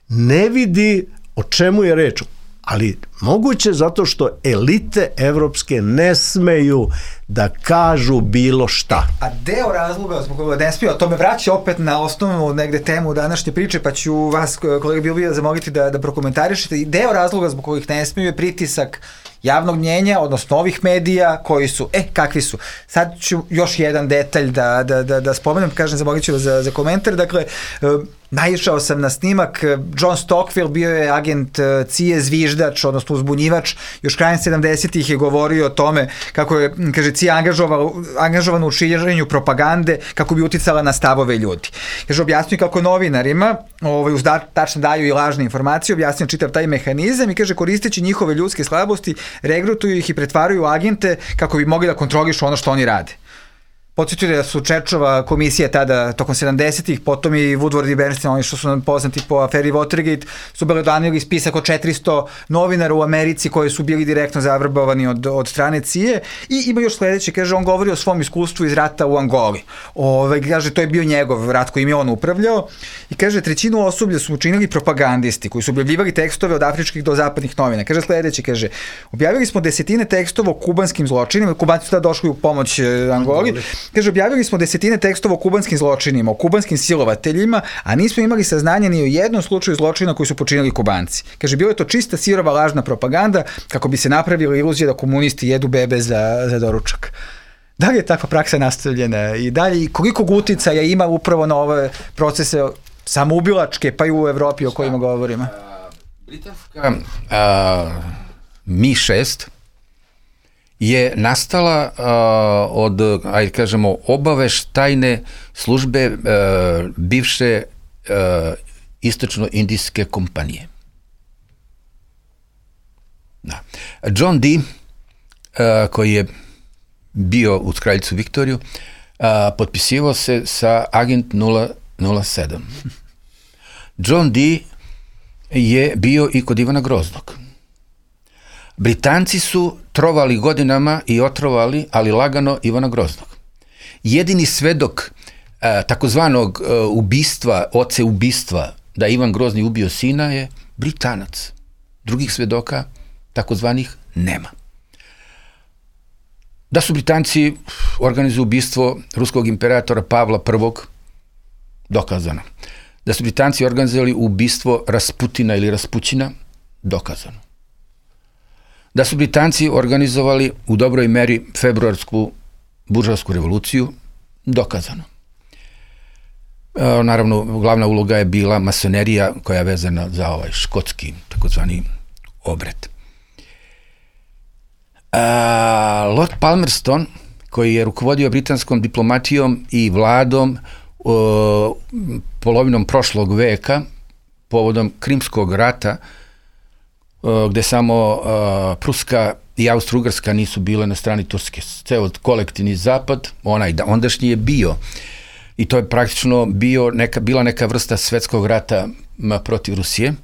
ne vidi o čemu je reč? Ali moguće zato što elite evropske ne smeju da kažu bilo šta. A deo razloga zbog koga ne smiju, to me vraća opet na osnovnu negde temu današnje priče, pa ću vas, kolega Bilbija, zamoliti da, da prokomentarišete. Deo razloga zbog kojih ne smiju je pritisak javnog mnjenja, odnosno ovih medija koji su, e, kakvi su. Sad ću još jedan detalj da, da, da, da spomenem, kažem, zamolit ću vas za, za komentar. Dakle, Naišao sam na snimak, John Stockwell bio je agent C I A zviždač, odnosno uzbunjivač, još krajem sedamdesetih je govorio o tome kako je, kaže, C I A angažovan u širenju propagande kako bi uticala na stavove ljudi. Kaže, objasnio kako novinarima, ovaj, uz da, tačno daju i lažne informacije, objasnio čitav taj mehanizam i kaže, koristeći njihove ljudske slabosti, regrutuju ih i pretvaraju u agente kako bi mogli da kontrolišu ono što oni rade. Podsjetio da su Čerčova komisija tada tokom sedamdesetih, potom i Woodward i Bernstein, oni što su nam poznati po aferi Watergate, su belodanili spisak od četiristo novinara u Americi koji su bili direktno zavrbovani od, od strane C I A. I ima još sledeće, kaže, on govori o svom iskustvu iz rata u Angoli. Ove, kaže, to je bio njegov rat kojim je on upravljao. I kaže, trećinu osoblja su učinili propagandisti koji su objavljivali tekstove od afričkih do zapadnih novina. Kaže sledeće, kaže, objavili smo desetine tekstova o kubanskim zločinima, Kubanci su tada došli u pomoć Angoli. Kaže, objavili smo desetine tekstova o kubanskim zločinima, o kubanskim silovateljima, a nismo imali saznanja ni o jednom slučaju zločina koji su počinili Kubanci. Kaže, bilo je to čista sirova lažna propaganda kako bi se napravila iluzija da komunisti jedu bebe za, za doručak. Da li je takva praksa nastavljena i dalje, i koliko uticaja ima upravo na ove procese samoubilačke, pa i u Evropi o kojima govorimo? Britanska Mi šest je nastala uh, od, ajde kažemo, obaveštajne službe uh, bivše uh, istočno-indijske kompanije. Da. John Dee, uh, koji je bio uz kraljicu Viktoriju, uh, potpisivao se sa agent nula nula sedam. John Dee je bio i kod Ivana Groznog. Britanci su trovali godinama i otrovali, ali lagano, Ivana Groznog. Jedini svedok a, takozvanog a, ubistva, oce ubistva, da Ivan Grozni ubio sina je Britanac. Drugih svedoka, takozvanih, nema. Da su Britanci organizuju ubistvo ruskog imperatora Pavla prvog, dokazano. Da su Britanci organizovali ubistvo Rasputina ili Raspućina, dokazano. Da su Britanci organizovali u dobroj meri februarsku buržovsku revoluciju, dokazano. E, naravno, glavna uloga je bila masonerija koja je vezana za ovaj škotski, takozvani obred. E, Lord Palmerston, koji je rukovodio britanskom diplomatijom i vladom o, polovinom prošlog veka, povodom Krimskog rata, gde samo uh, Pruska i Austro-Ugarska nisu bile na strani Turske. Ceo kolektivni zapad, onaj ondašnji je bio. I to je praktično bio neka, bila neka vrsta svetskog rata protiv Rusije.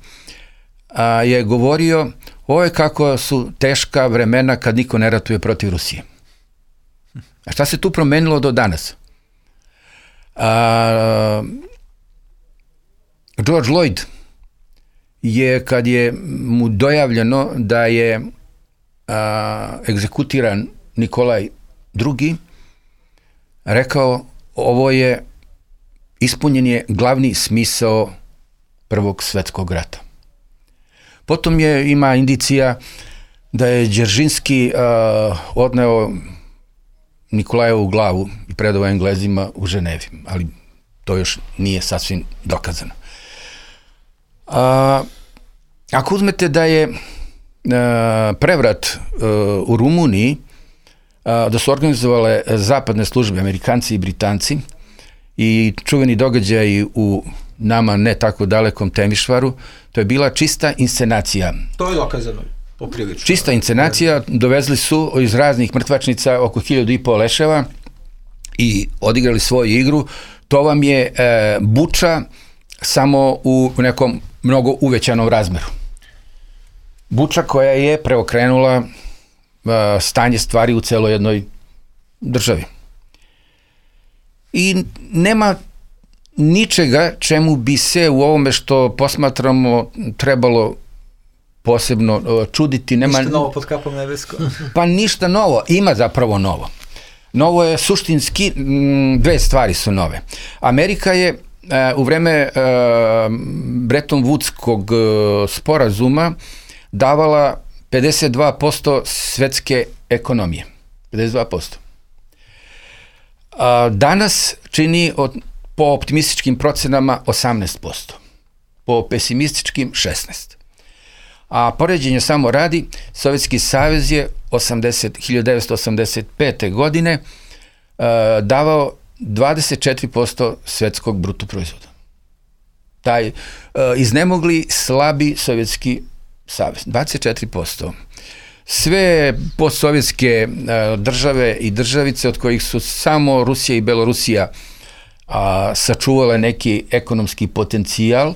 A, je govorio, ovo je kako su teška vremena kad niko ne ratuje protiv Rusije. A šta se tu promenilo do danas? A, George Lloyd je, kad je mu dojavljeno da je a, egzekutiran Nikolaj drugi, rekao, ovo je, ispunjen je glavni smisao Prvog svetskog rata. Potom je, ima indicija da je Đeržinski a, odneo Nikolajevu glavu i predao Englezima u Ženevi, ali to još nije sasvim dokazano. A, ako uzmete da je a, prevrat a, u Rumuniji, a, da su organizovale zapadne službe, Amerikanci i Britanci, i čuveni događaj u nama ne tako dalekom Temišvaru, to je bila čista inscenacija. To je dokazano. Poprilično. Čista inscenacija, dovezli su iz raznih mrtvačnica oko hiljadu i po leševa i odigrali svoju igru. To vam je e, Buča samo u nekom mnogo uvećanom razmeru. Buča koja je preokrenula e, stanje stvari u celoj jednoj državi. I nema ničega čemu bi se u ovome što posmatramo trebalo posebno čuditi. Nema, ništa novo pod kapom nebeskom. Pa ništa novo, ima zapravo novo. Novo je suštinski, dve stvari su nove. Amerika je u vreme Bretton Woodskog sporazuma davala pedeset dva posto svetske ekonomije. pedeset dva posto. Danas čini od po optimističkim procenama osamnaest posto, po pesimističkim šesnaest posto. A poređenje samo radi, Sovjetski savez je hiljadu devetsto osamdeset pete. godine uh, davao dvadeset četiri posto svetskog bruto proizvoda. Taj uh, iznemogli, slabi Sovjetski savez, dvadeset četiri posto. Sve postsovjetske uh, države i državice, od kojih su samo Rusija i Belorusija uh, sačuvale neki ekonomski potencijal,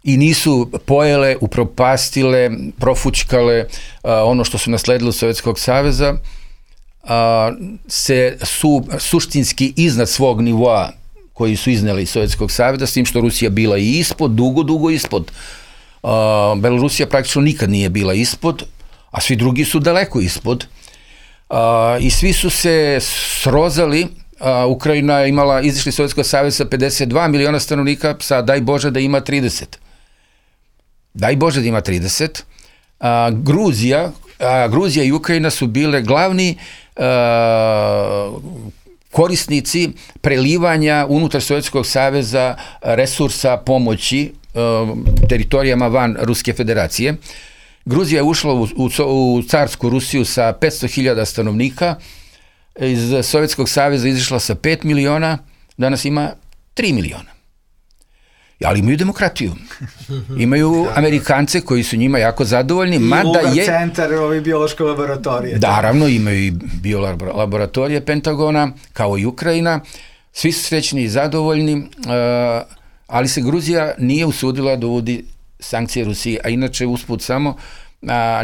i nisu pojele, upropastile, profućkale uh, ono što su nasledili od Sovjetskog saveza, uh, se su suštinski iznad svog nivoa koji su izneli iz Sovjetskog saveza, s tim što Rusija bila i ispod, dugo, dugo ispod. Uh, Belorusija praktično nikad nije bila ispod, a svi drugi su daleko ispod. Uh, I svi su se srozali. Uh, Ukrajina je imala, izišli iz Sovjetskog saveza sa pedeset dva miliona stanovnika, sa daj Bože da ima trideset. Daj Bože da ima trideset. A, Gruzija, a, Gruzija i Ukrajina su bile glavni a, korisnici prelivanja unutar Sovjetskog saveza resursa pomoći a, teritorijama van Ruske federacije. Gruzija je ušla u, u, u carsku Rusiju sa petsto hiljada stanovnika, iz Sovjetskog saveza izišla sa pet miliona, danas ima tri miliona. Ali imaju demokratiju. Imaju Amerikance koji su njima jako zadovoljni. I mada Lugar je centar, ovi biološke laboratorije. Naravno, imaju i biolaboratorije Pentagona, kao i Ukrajina. Svi su srećni i zadovoljni, ali se Gruzija nije usudila da uvodi sankcije Rusiji, a inače usput samo,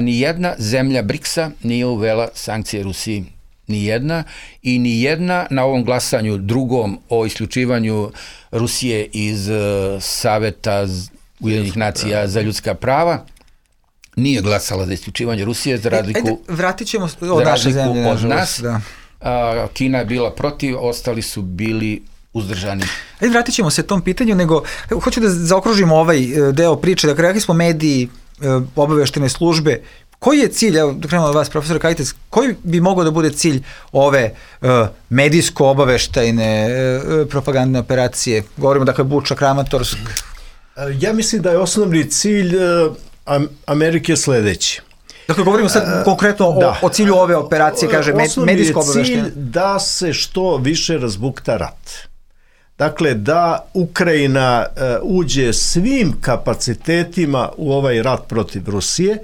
ni jedna zemlja briksa nije uvela sankcije Rusiji. Ni jedna, i ni jedna na ovom glasanju drugom o isključivanju Rusije iz uh, Saveta Ujedinjenih nacija za ljudska prava nije glasala za isključivanje Rusije, za razliku, Ajde, vratit ćemo od naše zemlje, od nas. Da. A, Kina je bila protiv, ostali su bili uzdržani. Ajde, vratit ćemo se tom pitanju, nego evo, hoću da zaokružimo ovaj deo priče. Dakle, rekli smo mediji, obaveštene službe. Koji je cilj, evo da krenemo od vas, profesor Kajtec, koji bi mogao da bude cilj ove uh, medijsko-obaveštajne uh, propagandne operacije? Govorimo, dakle, Buča, Kramatorsk. Ja mislim da je osnovni cilj uh, Amerike sledeći. Dakle, govorimo sad uh, konkretno o, da. o cilju ove operacije, kaže, medijsko-obaveštajne. Osnovni je cilj da se što više razbukta rat. Dakle, da Ukrajina uh, uđe svim kapacitetima u ovaj rat protiv Rusije,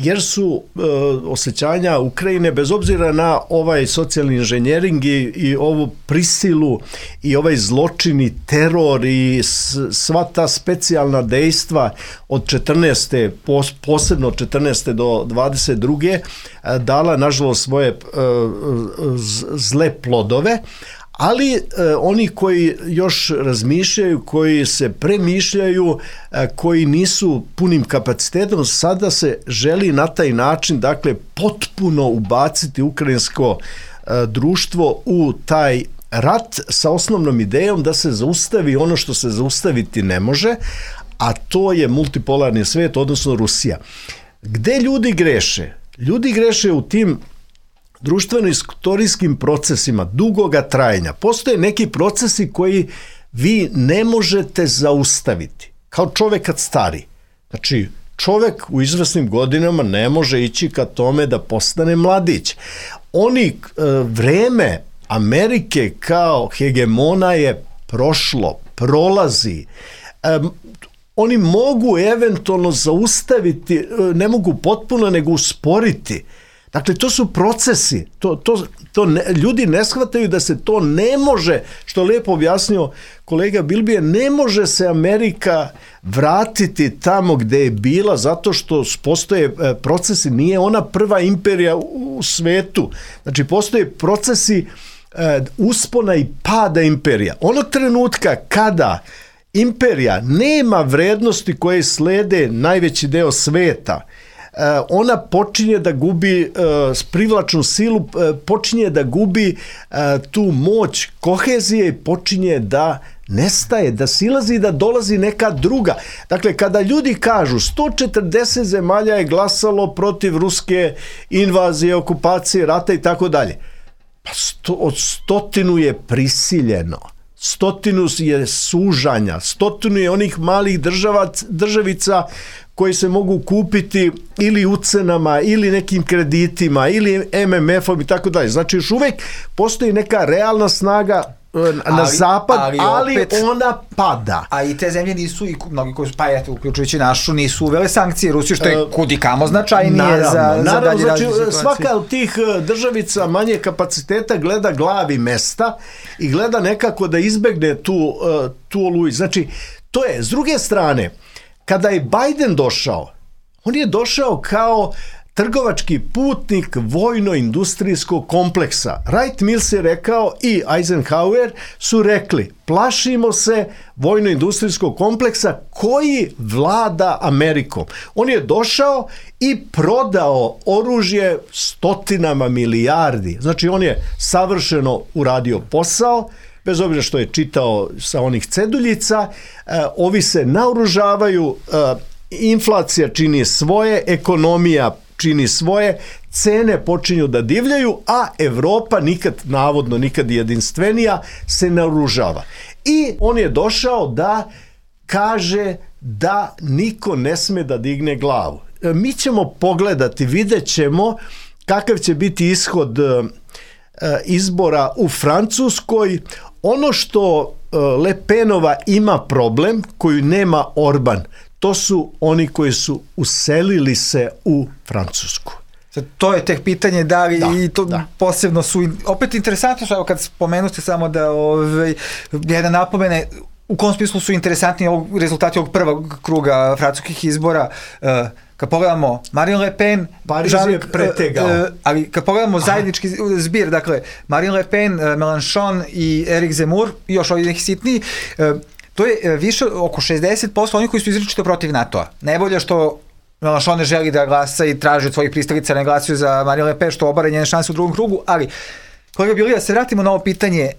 jer su e, osjećanja Ukrajine, bez obzira na ovaj socijalni inženjering i, i ovu prisilu i ovaj zločini, teror i s, sva ta specijalna dejstva od četrnaeste, pos, posebno od četrnaeste do dvadeset druge E, dala, nažalost, svoje e, z, zle plodove, ali e, oni koji još razmišljaju, koji se premišljaju, e, koji nisu punim kapacitetom, sada se želi na taj način, dakle, potpuno ubaciti ukrajinsko e, društvo u taj rat sa osnovnom idejom da se zaustavi ono što se zaustaviti ne može, a to je multipolarni svet, odnosno Rusija. Gde ljudi greše? Ljudi greše u tim društveno-istorijskim procesima dugoga trajanja. Postoje neki procesi koji vi ne možete zaustaviti. Kao čovek kad stari. Znači, čovek u izvesnim godinama ne može ići ka tome da postane mladić. Oni, e, vreme Amerike kao hegemona je prošlo, prolazi. E, oni mogu eventualno zaustaviti, ne mogu potpuno, nego usporiti. Dakle, to su procesi, to, to, to ne, ljudi ne shvataju da se to ne može, što lepo objasnio kolega Bilbije, ne može se Amerika vratiti tamo gde je bila, zato što postoje procesi, nije ona prva imperija u svetu, znači postoje procesi e, uspona i pada imperija. Onog trenutka kada imperija nema vrednosti koje slede najveći deo sveta, ona počinje da gubi privlačnu silu, počinje da gubi tu moć kohezije i počinje da nestaje, da silazi i da dolazi neka druga. Dakle, kada ljudi kažu sto četrdeset zemalja je glasalo protiv ruske invazije, okupacije, rata i tako dalje, pa sto, od stotinu je prisiljeno. stotinu je sužanja, stotinu je onih malih država, državica koji se mogu kupiti ili ucenama, ili nekim kreditima, ili em em efom i tako dalje. Znači, još uvek postoji neka realna snaga na ali, zapad, ali, ali opet, ona pada. A i te zemlje nisu, i mnogi koji su, pa eto, uključujući našu, nisu uvele sankcije Rusiju, što je kudikamo značajnije naravno, za, naravno, za dalje znači, različite situacije. Svaka od tih državica manje kapaciteta gleda glavi mesta i gleda nekako da izbegne tu, tu oluju. Znači, to je, s druge strane, kada je Biden došao, on je došao kao trgovački putnik vojno-industrijskog kompleksa. Wright Mills je rekao i Eisenhower su rekli, plašimo se vojno-industrijskog kompleksa koji vlada Amerikom. On je došao i prodao oružje stotinama milijardi. Znači on je savršeno uradio posao, bez obzira što je čitao sa onih ceduljica, e, ovi se naoružavaju, e, inflacija čini svoje, ekonomija čini svoje, cene počinju da divljaju, a Evropa nikad, navodno nikad jedinstvenija, se naoružava. I on je došao da kaže da niko ne sme da digne glavu. E, mi ćemo pogledati, vidjet ćemo kakav će biti ishod e, izbora u Francuskoj. Ono što Le Penova ima problem, koju nema Orban, to su oni koji su uselili se u Francusku. To je tek pitanje da li da, i to da. Posebno su, opet interesantno što, evo kad spomenuste samo da ovaj, jedna napomene, u kom smislu su interesantni ovog, rezultati ovog prvog kruga francuskih izbora. Uh, kad pogledamo Marine Le Pen, Pariz je pretegao. Uh, ali kad pogledamo zajednički zbir, dakle Marine Le Pen, uh, Mélenchon i Eric Zemmour, i još ovdje neki sitniji, uh, to je više oko šezdeset posto onih koji su izričito protiv NATO-a. Najbolje što Mélenchon ne želi da glasa i traži od svojih pristalica ne glasaju za Marine Le Pen, što obare njene šanse u drugom krugu, ali kolega Bilija, se vratimo na ovo pitanje,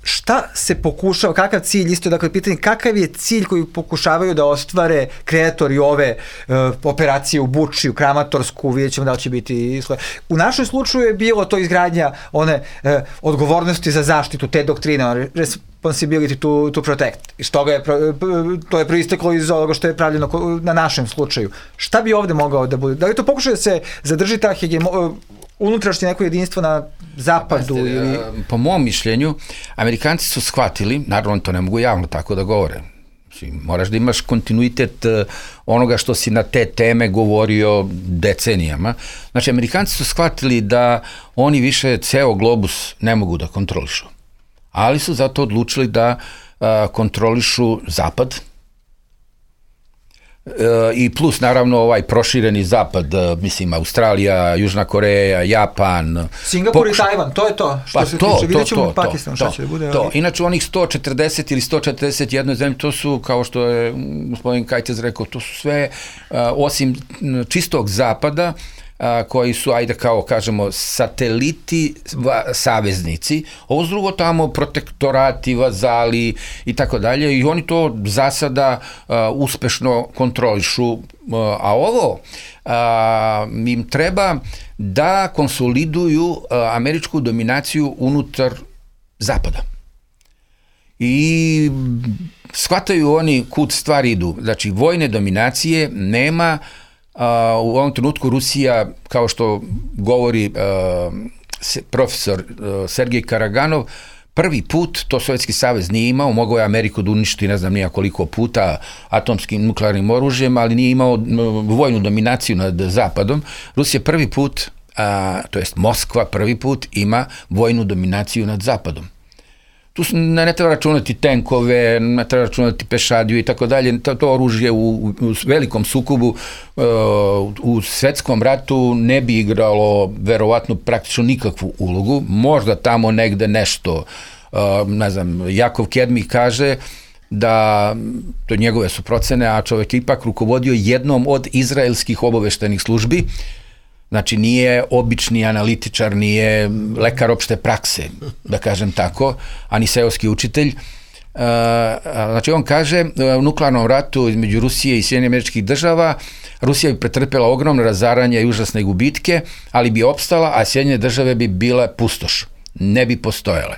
šta se pokušava, kakav cilj, isto dakle pitanje, kakav je cilj koji pokušavaju da ostvare kreatori ove uh, operacije u Buči, u Kramatorsku, vidjet ćemo da li će biti. U našem slučaju je bilo to izgradnja one uh, odgovornosti za zaštitu, te doktrine, responsibility to, to protect. I što ga je, to je proisteklo iz ovoga što je pravljeno na našem slučaju. Šta bi ovde mogao da bude? Da li to pokušaju da se zadrži ta hegemo, unutrašnje neko jedinstvo na zapadu? Pazite, ili... Po mom mišljenju, Amerikanci su shvatili, naravno to ne mogu javno tako da govore, moraš da imaš kontinuitet onoga što si na te teme govorio decenijama. Znači, Amerikanci su shvatili da oni više ceo globus ne mogu da kontrolišu, ali su zato odlučili da a, kontrolišu zapad, i plus naravno ovaj prošireni zapad, mislim Australija, Južna Koreja, Japan, Singapur pokuša... i Tajvan, to je to što pa se to, tiče, vidjet ćemo to, Pakistan šta će da bude. To. Inače onih sto četrdeset ili sto četrdeset jedna zemlje, to su, kao što je gospodin Kajtez rekao, to su sve uh, osim čistog zapada, a, koji su, ajde kao kažemo, sateliti, va, saveznici, ovo drugo tamo protektorati, vazali i tako dalje, i oni to za sada a, uspešno kontrolišu, a, a ovo a, im treba da konsoliduju a, američku dominaciju unutar zapada. I shvataju oni kud stvari idu, znači vojne dominacije nema. Uh, u ovom trenutku Rusija, kao što govori uh, se, profesor uh, Sergej Karaganov, prvi put to Sovjetski savez nije imao, mogao je Ameriku da uništi ne znam nija koliko puta atomskim nuklearnim oružjem, ali nije imao uh, vojnu dominaciju nad zapadom. Rusija prvi put, uh, to jest Moskva prvi put ima vojnu dominaciju nad zapadom. Tu ne, ne treba računati tenkove, ne treba računati pešadiju i tako dalje. To, to oružje u, u velikom sukobu uh, u svetskom ratu ne bi igralo verovatno praktično nikakvu ulogu. Možda tamo negde nešto, uh, ne znam, Jakov Kedmi kaže da, to njegove su procene, a čovjek je ipak rukovodio jednom od izraelskih obaveštajnih službi. Znači, nije obični analitičar, nije lekar opšte prakse, da kažem tako, a ni seoski učitelj. Znači, on kaže, u nuklearnom ratu između Rusije i Sjedinjenih Američkih Država, Rusija bi pretrpela ogromno razaranje i užasne gubitke, ali bi opstala, a Sjedinjene Države bi bile pustoš, ne bi postojale.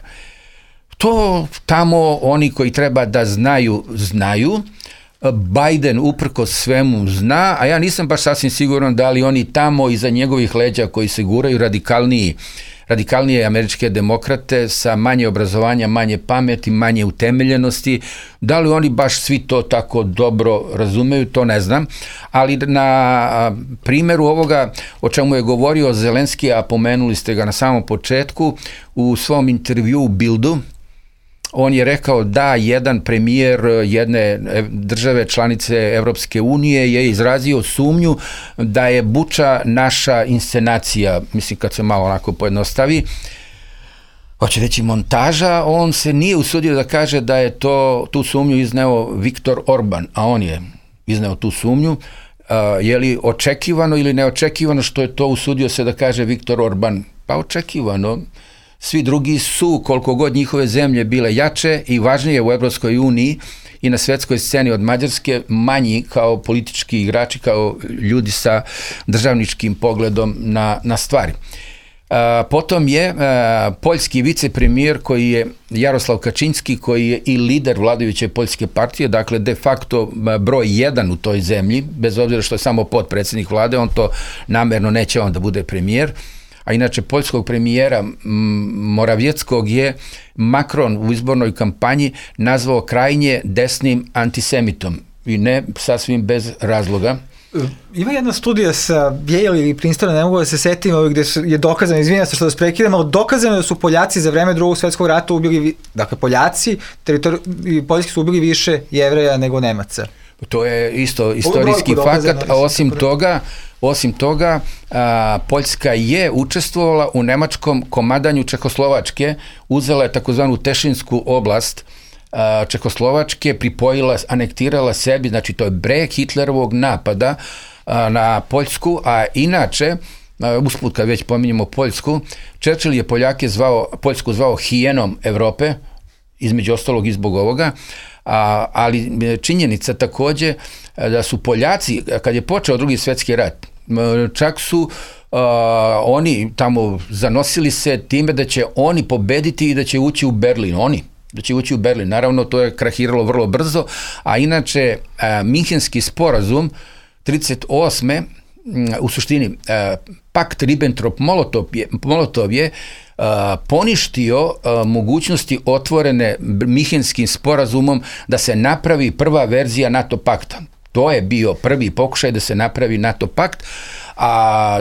to tamo oni koji treba da znaju, znaju. Biden uprkos svemu zna, a ja nisam baš sasvim siguran da li oni tamo iza njegovih leđa koji se guraju radikalniji, radikalnije američke demokrate sa manje obrazovanja, manje pameti, manje utemeljenosti, da li oni baš svi to tako dobro razumeju, to ne znam, ali na primjeru ovoga o čemu je govorio Zelenski, a pomenuli ste ga na samom početku, u svom intervju u Bildu, on je rekao da jedan premijer jedne države članice Evropske unije je izrazio sumnju da je Buča naša inscenacija, mislim kad se malo onako pojednostavi, hoće reći montaža, on se nije usudio da kaže da je to, tu sumnju izneo Viktor Orban, a on je izneo tu sumnju. Je li očekivano ili neočekivano što je to usudio se da kaže Viktor Orban? Pa očekivano. Svi drugi su, koliko god njihove zemlje bile jače i važnije u Evropskoj uniji i na svetskoj sceni od Mađarske, manji kao politički igrači, kao ljudi sa državničkim pogledom na, na stvari. A, potom je a, poljski vicepremijer koji je Jaroslav Kačinski, koji je i lider vladajuće poljske partije, dakle de facto broj jedan u toj zemlji, bez obzira što je samo potpredsjednik vlade, on to namerno neće on da bude premijer. A inače poljskog premijera Moravjeckog je Macron u izbornoj kampanji nazvao krajnje desnim antisemitom i ne sasvim bez razloga. Ima jedna studija sa Yale ili Princetona, ne mogu da se setim, gde je dokazano, izvinjam se što vas prekidam, ali dokazano da su Poljaci za vreme drugog svjetskog rata ubili, dakle Poljaci, teritori, Poljski su ubili više Jevreja nego Nemaca. To je isto istorijski fakat, a osim toga, osim toga, a, Poljska je učestvovala u nemačkom komadanju Čehoslovačke, uzela je takozvanu Tešinsku oblast a, Čehoslovačke, pripojila, anektirala sebi, znači to je breg Hitlerovog napada a, na Poljsku, a inače, a, usput kad već pominjemo Poljsku, Churchill je Poljake zvao, Poljsku zvao hijenom Evrope, između ostalog i zbog ovoga, A, ali činjenica takođe da su Poljaci, kad je počeo drugi svjetski rat, čak su a, oni tamo zanosili se time da će oni pobediti i da će ući u Berlin, oni, da će ući u Berlin. Naravno, to je krahiralo vrlo brzo, a inače a, Minhenski sporazum trideset osme u suštini a, pakt Ribbentrop-Molotov je, Molotov je Uh, poništio uh, mogućnosti otvorene Minhenskim sporazumom da se napravi prva verzija NATO pakta. To je bio prvi pokušaj da se napravi NATO pakt, a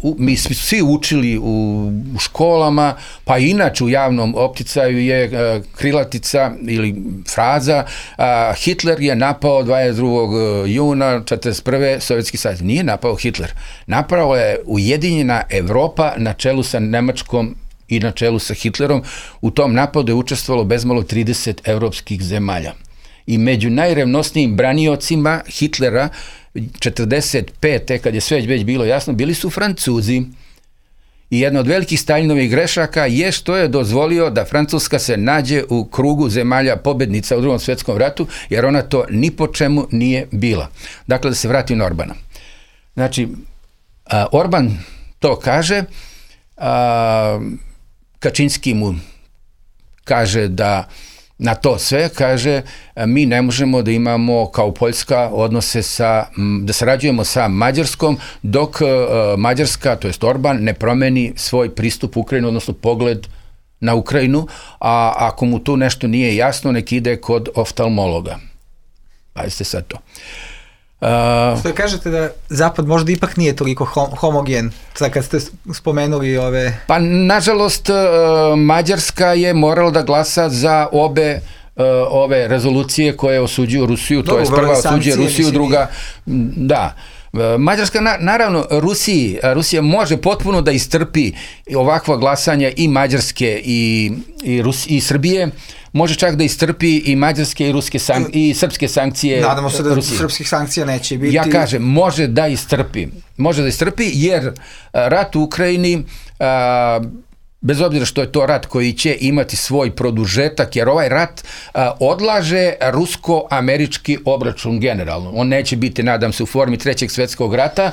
uh, mi smo svi učili u, u školama, pa inače u javnom opticaju je uh, krilatica ili fraza uh, Hitler je napao dvadeset drugog juna četrdeset prve Sovjetski savez. Nije napao Hitler. Napao je Ujedinjena Evropa na čelu sa Nemačkom i na čelu sa Hitlerom. U tom napadu je učestvovalo bezmalo trideset evropskih zemalja. I među najrevnosnijim braniocima Hitlera četrdeset pete kad je sve već bilo jasno, bili su Francuzi. I jedna od velikih Stalinovih grešaka je što je dozvolio da Francuska se nađe u krugu zemalja pobednica u drugom svjetskom ratu, jer ona to ni po čemu nije bila. Dakle, da se vrati na Orbana. Znači, Orban to kaže, a, Kačinski mu kaže da na to sve, kaže, mi ne možemo da imamo kao Poljska odnose sa, da sarađujemo sa Mađarskom, dok uh, Mađarska, to jest Orban, ne promeni svoj pristup Ukrajinu, odnosno pogled na Ukrajinu, a ako mu tu nešto nije jasno, nek ide kod oftalmologa. Pazite sad to. Uh, Što kažete da Zapad možda ipak nije toliko homogen, sad kad ste spomenuli ove... Pa, nažalost, uh, Mađarska je morala da glasa za obe uh, ove rezolucije koje osuđuju Rusiju, to je prva osuđuje Rusiju, druga, da. Mađarska, na, naravno, Rusiji, Rusija može potpuno da istrpi ovakva glasanja i Mađarske i, i, Rus, i Srbije, može čak da istrpi i mađarske i ruske sank, i srpske sankcije. Nadamo se da Rusije. Srpskih sankcija neće biti. Ja kažem, može da istrpi. Može da istrpi jer rat u Ukrajini, a, bez obzira što je to rat koji će imati svoj produžetak, jer ovaj rat a, odlaže rusko-američki obračun generalno. On neće biti, nadam se, u formi trećeg svjetskog rata,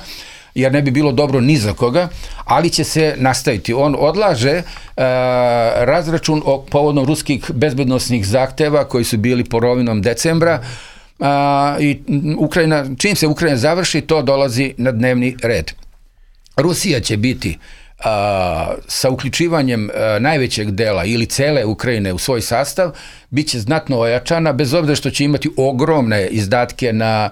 jer ne bi bilo dobro ni za koga, ali će se nastaviti. On odlaže uh, razračun o povodom ruskih bezbednosnih zahteva koji su bili polovinom decembra uh, i Ukrajina, čim se Ukrajina završi, to dolazi na dnevni red. Rusija će biti uh, sa uključivanjem uh, najvećeg dela ili cele Ukrajine u svoj sastav, bit će znatno ojačana, bez obzira što će imati ogromne izdatke na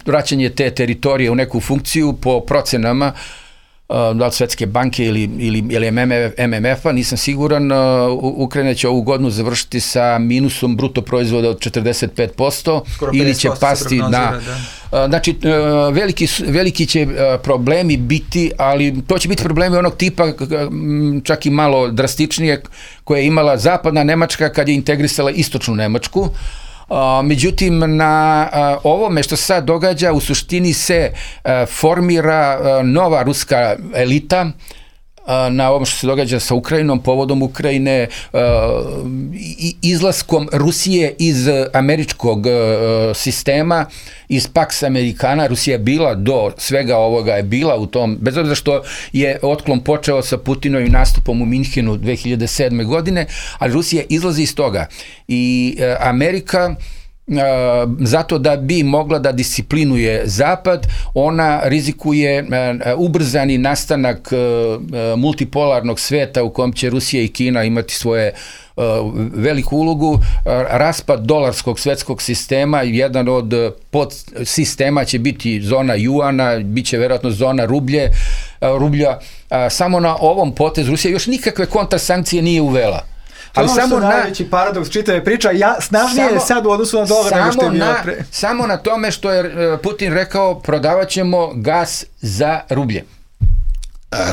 vraćanje te teritorije u neku funkciju po procenama da li Svetske banke ili, ili, ili M M F-a, nisam siguran. Ukrajina će ovu godinu završiti sa minusom bruto proizvoda od četrdeset pet posto ili će pasti na... Da. Znači, veliki, veliki će problemi biti, ali to će biti problemi onog tipa, čak i malo drastičnije, koje je imala zapadna Nemačka kad je integrisala istočnu Nemačku. Uh, međutim, na uh, ovome što se sad događa, u suštini se uh, formira uh, nova ruska elita uh, na ovom što se događa sa Ukrajinom, povodom Ukrajine, uh, i, izlaskom Rusije iz američkog uh, sistema, iz Pax Americana. Rusija je bila do svega ovoga, je bila u tom, bez obzira što je otklon počeo sa Putinovim nastupom u Minhenu dve hiljade sedme. godine, ali Rusija izlazi iz toga. I uh, Amerika, Uh, zato da bi mogla da disciplinuje Zapad, ona rizikuje uh, ubrzani nastanak uh, multipolarnog sveta u kojem će Rusija i Kina imati svoje uh, veliku ulogu, uh, raspad dolarskog svetskog sistema, jedan od podsistema će biti zona juana, bit će verovatno zona rublje, uh, rublja. Uh, samo na ovom potezu Rusija još nikakve kontrasankcije nije uvela. Ali to samo na najveći paradoks čitave priča, ja snažnije je sad u odnosu na dolar nego što je bilo pre. Samo na tome što je Putin rekao, prodavat ćemo gas za rublje.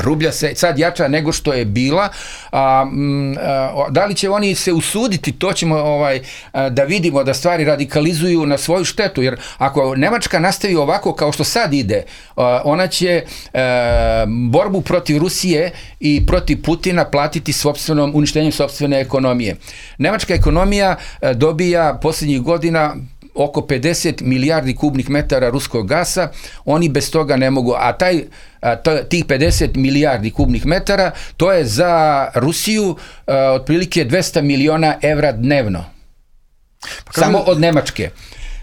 Rublja se sad jača nego što je bila. A, a, da li će oni se usuditi, to ćemo ovaj, a, da vidimo, da stvari radikalizuju na svoju štetu, jer ako Nemačka nastavi ovako kao što sad ide, a, ona će a, borbu protiv Rusije i protiv Putina platiti sopstvenom uništenjem sopstvene ekonomije. Nemačka ekonomija a, dobija posljednjih godina oko pedeset milijardi kubnih metara ruskog gasa, oni bez toga ne mogu, a taj, a, to, tih pedeset milijardi kubnih metara, to je za Rusiju a, otprilike dvesta miliona evra dnevno. Pa samo od Nemačke.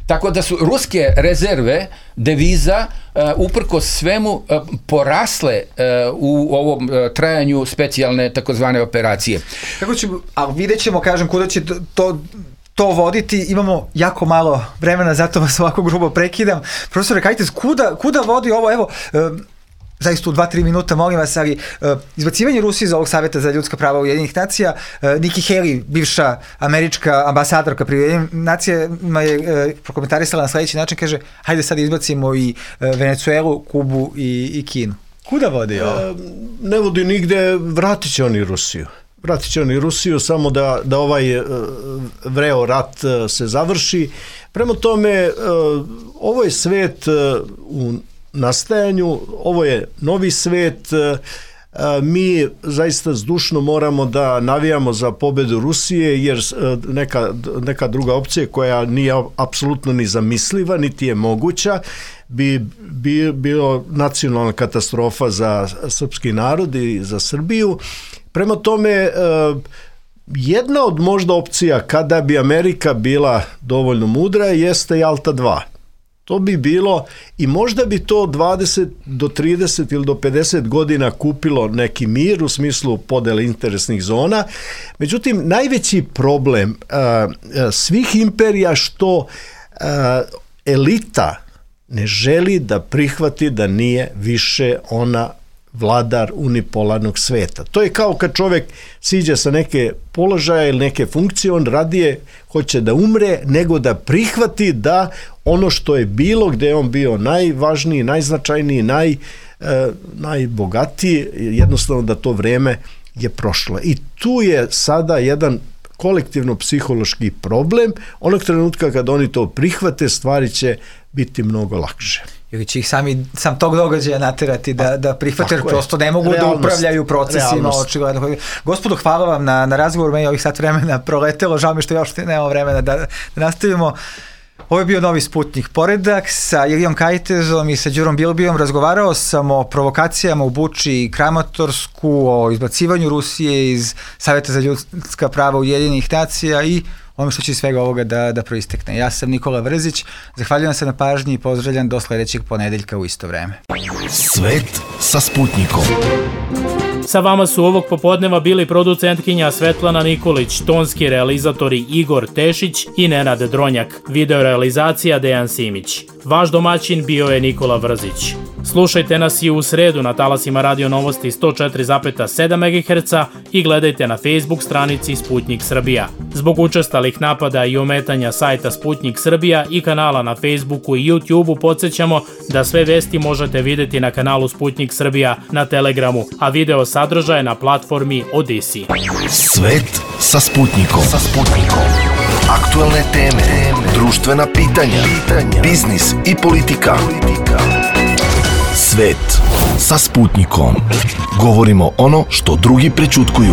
Tako da su ruske rezerve deviza uh, uprkos svemu uh, porasle uh, u ovom uh, trajanju specijalne takozvane operacije. Kako ćemo, ali vidjet ćemo, kažem, kuda će to, to to voditi, imamo jako malo vremena, zato vas ovako grubo prekidam. Profesore, kajte, kuda, kuda vodi ovo, evo, e, zaista u dva tri minuta, molim vas, ali e, izbacivanje Rusije iz ovog Savjeta za ljudska prava Ujedinjenih nacija, e, Nikki Haley, bivša američka ambasadorka pri Ujedinjenih nacijama, je e, prokomentarisala na sljedeći način, kaže, hajde sad izbacimo i e, Venecuelu, Kubu i, i Kinu. Kuda vodi ovo? E, ne vodi nigde, vratit će oni Rusiju. Vratit će oni Rusiju samo da, da ovaj uh, vreo rat uh, se završi. Prema tome, uh, ovo je svet uh, u nastajanju, ovo je novi svet. Uh, mi zaista zdušno moramo da navijamo za pobedu Rusije, jer uh, neka, neka druga opcija koja nije apsolutno ni zamisliva, niti je moguća, bi, bi bilo nacionalna katastrofa za srpski narod i za Srbiju. Prema tome, jedna od možda opcija kada bi Amerika bila dovoljno mudra jeste Jalta dva. To bi bilo i možda bi to dvadeset do trideset ili do pedeset godina kupilo neki mir u smislu podele interesnih zona. Međutim, najveći problem svih imperija što elita ne želi da prihvati da nije više ona vladar unipolarnog sveta. To je kao kad čovjek siđe sa neke položaja ili neke funkcije, on radije hoće da umre nego da prihvati da ono što je bilo, gdje je on bio najvažniji, najznačajniji, naj, e, najbogatiji, jednostavno da to vreme je prošlo. I tu je sada jedan kolektivno-psihološki problem. Onog trenutka kad oni to prihvate, stvari će biti mnogo lakše. Ili će ih sami, sam tog događaja naterati da, da prihvate, jer prosto ne mogu realnost, da upravljaju procesima. Očigledno. Gospodo, hvala vam na, na razgovor, meni ovih sat vremena proletelo, žao mi što još nema vremena da, da nastavimo. Ovo je bio Novi Sputnik Poredak sa Ilijom Kajtezom i sa Đurom Bilbijom. Razgovarao sam o provokacijama u Buči i Kramatorsku, o izbacivanju Rusije iz Saveta za ljudska prava Ujedinjenih nacija i ono što će iz svega ovoga da, da proistekne. Ja sam Nikola Vrzić, zahvaljujem se na pažnji i pozdravljam do sledećeg ponedeljka u isto vreme. Svet sa Sputnikom. Sa vama su ovog popodneva bili producentkinja Svetlana Nikolić, tonski realizatori Igor Tešić i Nenad Dronjak, videorealizacija Dejan Simić. Vaš domaćin bio je Nikola Vrzić. Slušajte nas i u sredu na talasima Radio Novosti sto četiri zarez sedam megaherca i gledajte na Facebook stranici Sputnik Srbija. Zbog učestalih napada i ometanja sajta Sputnik Srbija i kanala na Facebooku i YouTubeu podsjećamo da sve vesti možete videti na kanalu Sputnik Srbija na Telegramu, a video sadržaje na platformi Odisi. Svet sa Sputnikom. Sa Sputnikom. Aktuelne teme, društvena pitanja, biznis i politika. Svet sa Sputnikom. Govorimo ono što drugi prećutkuju.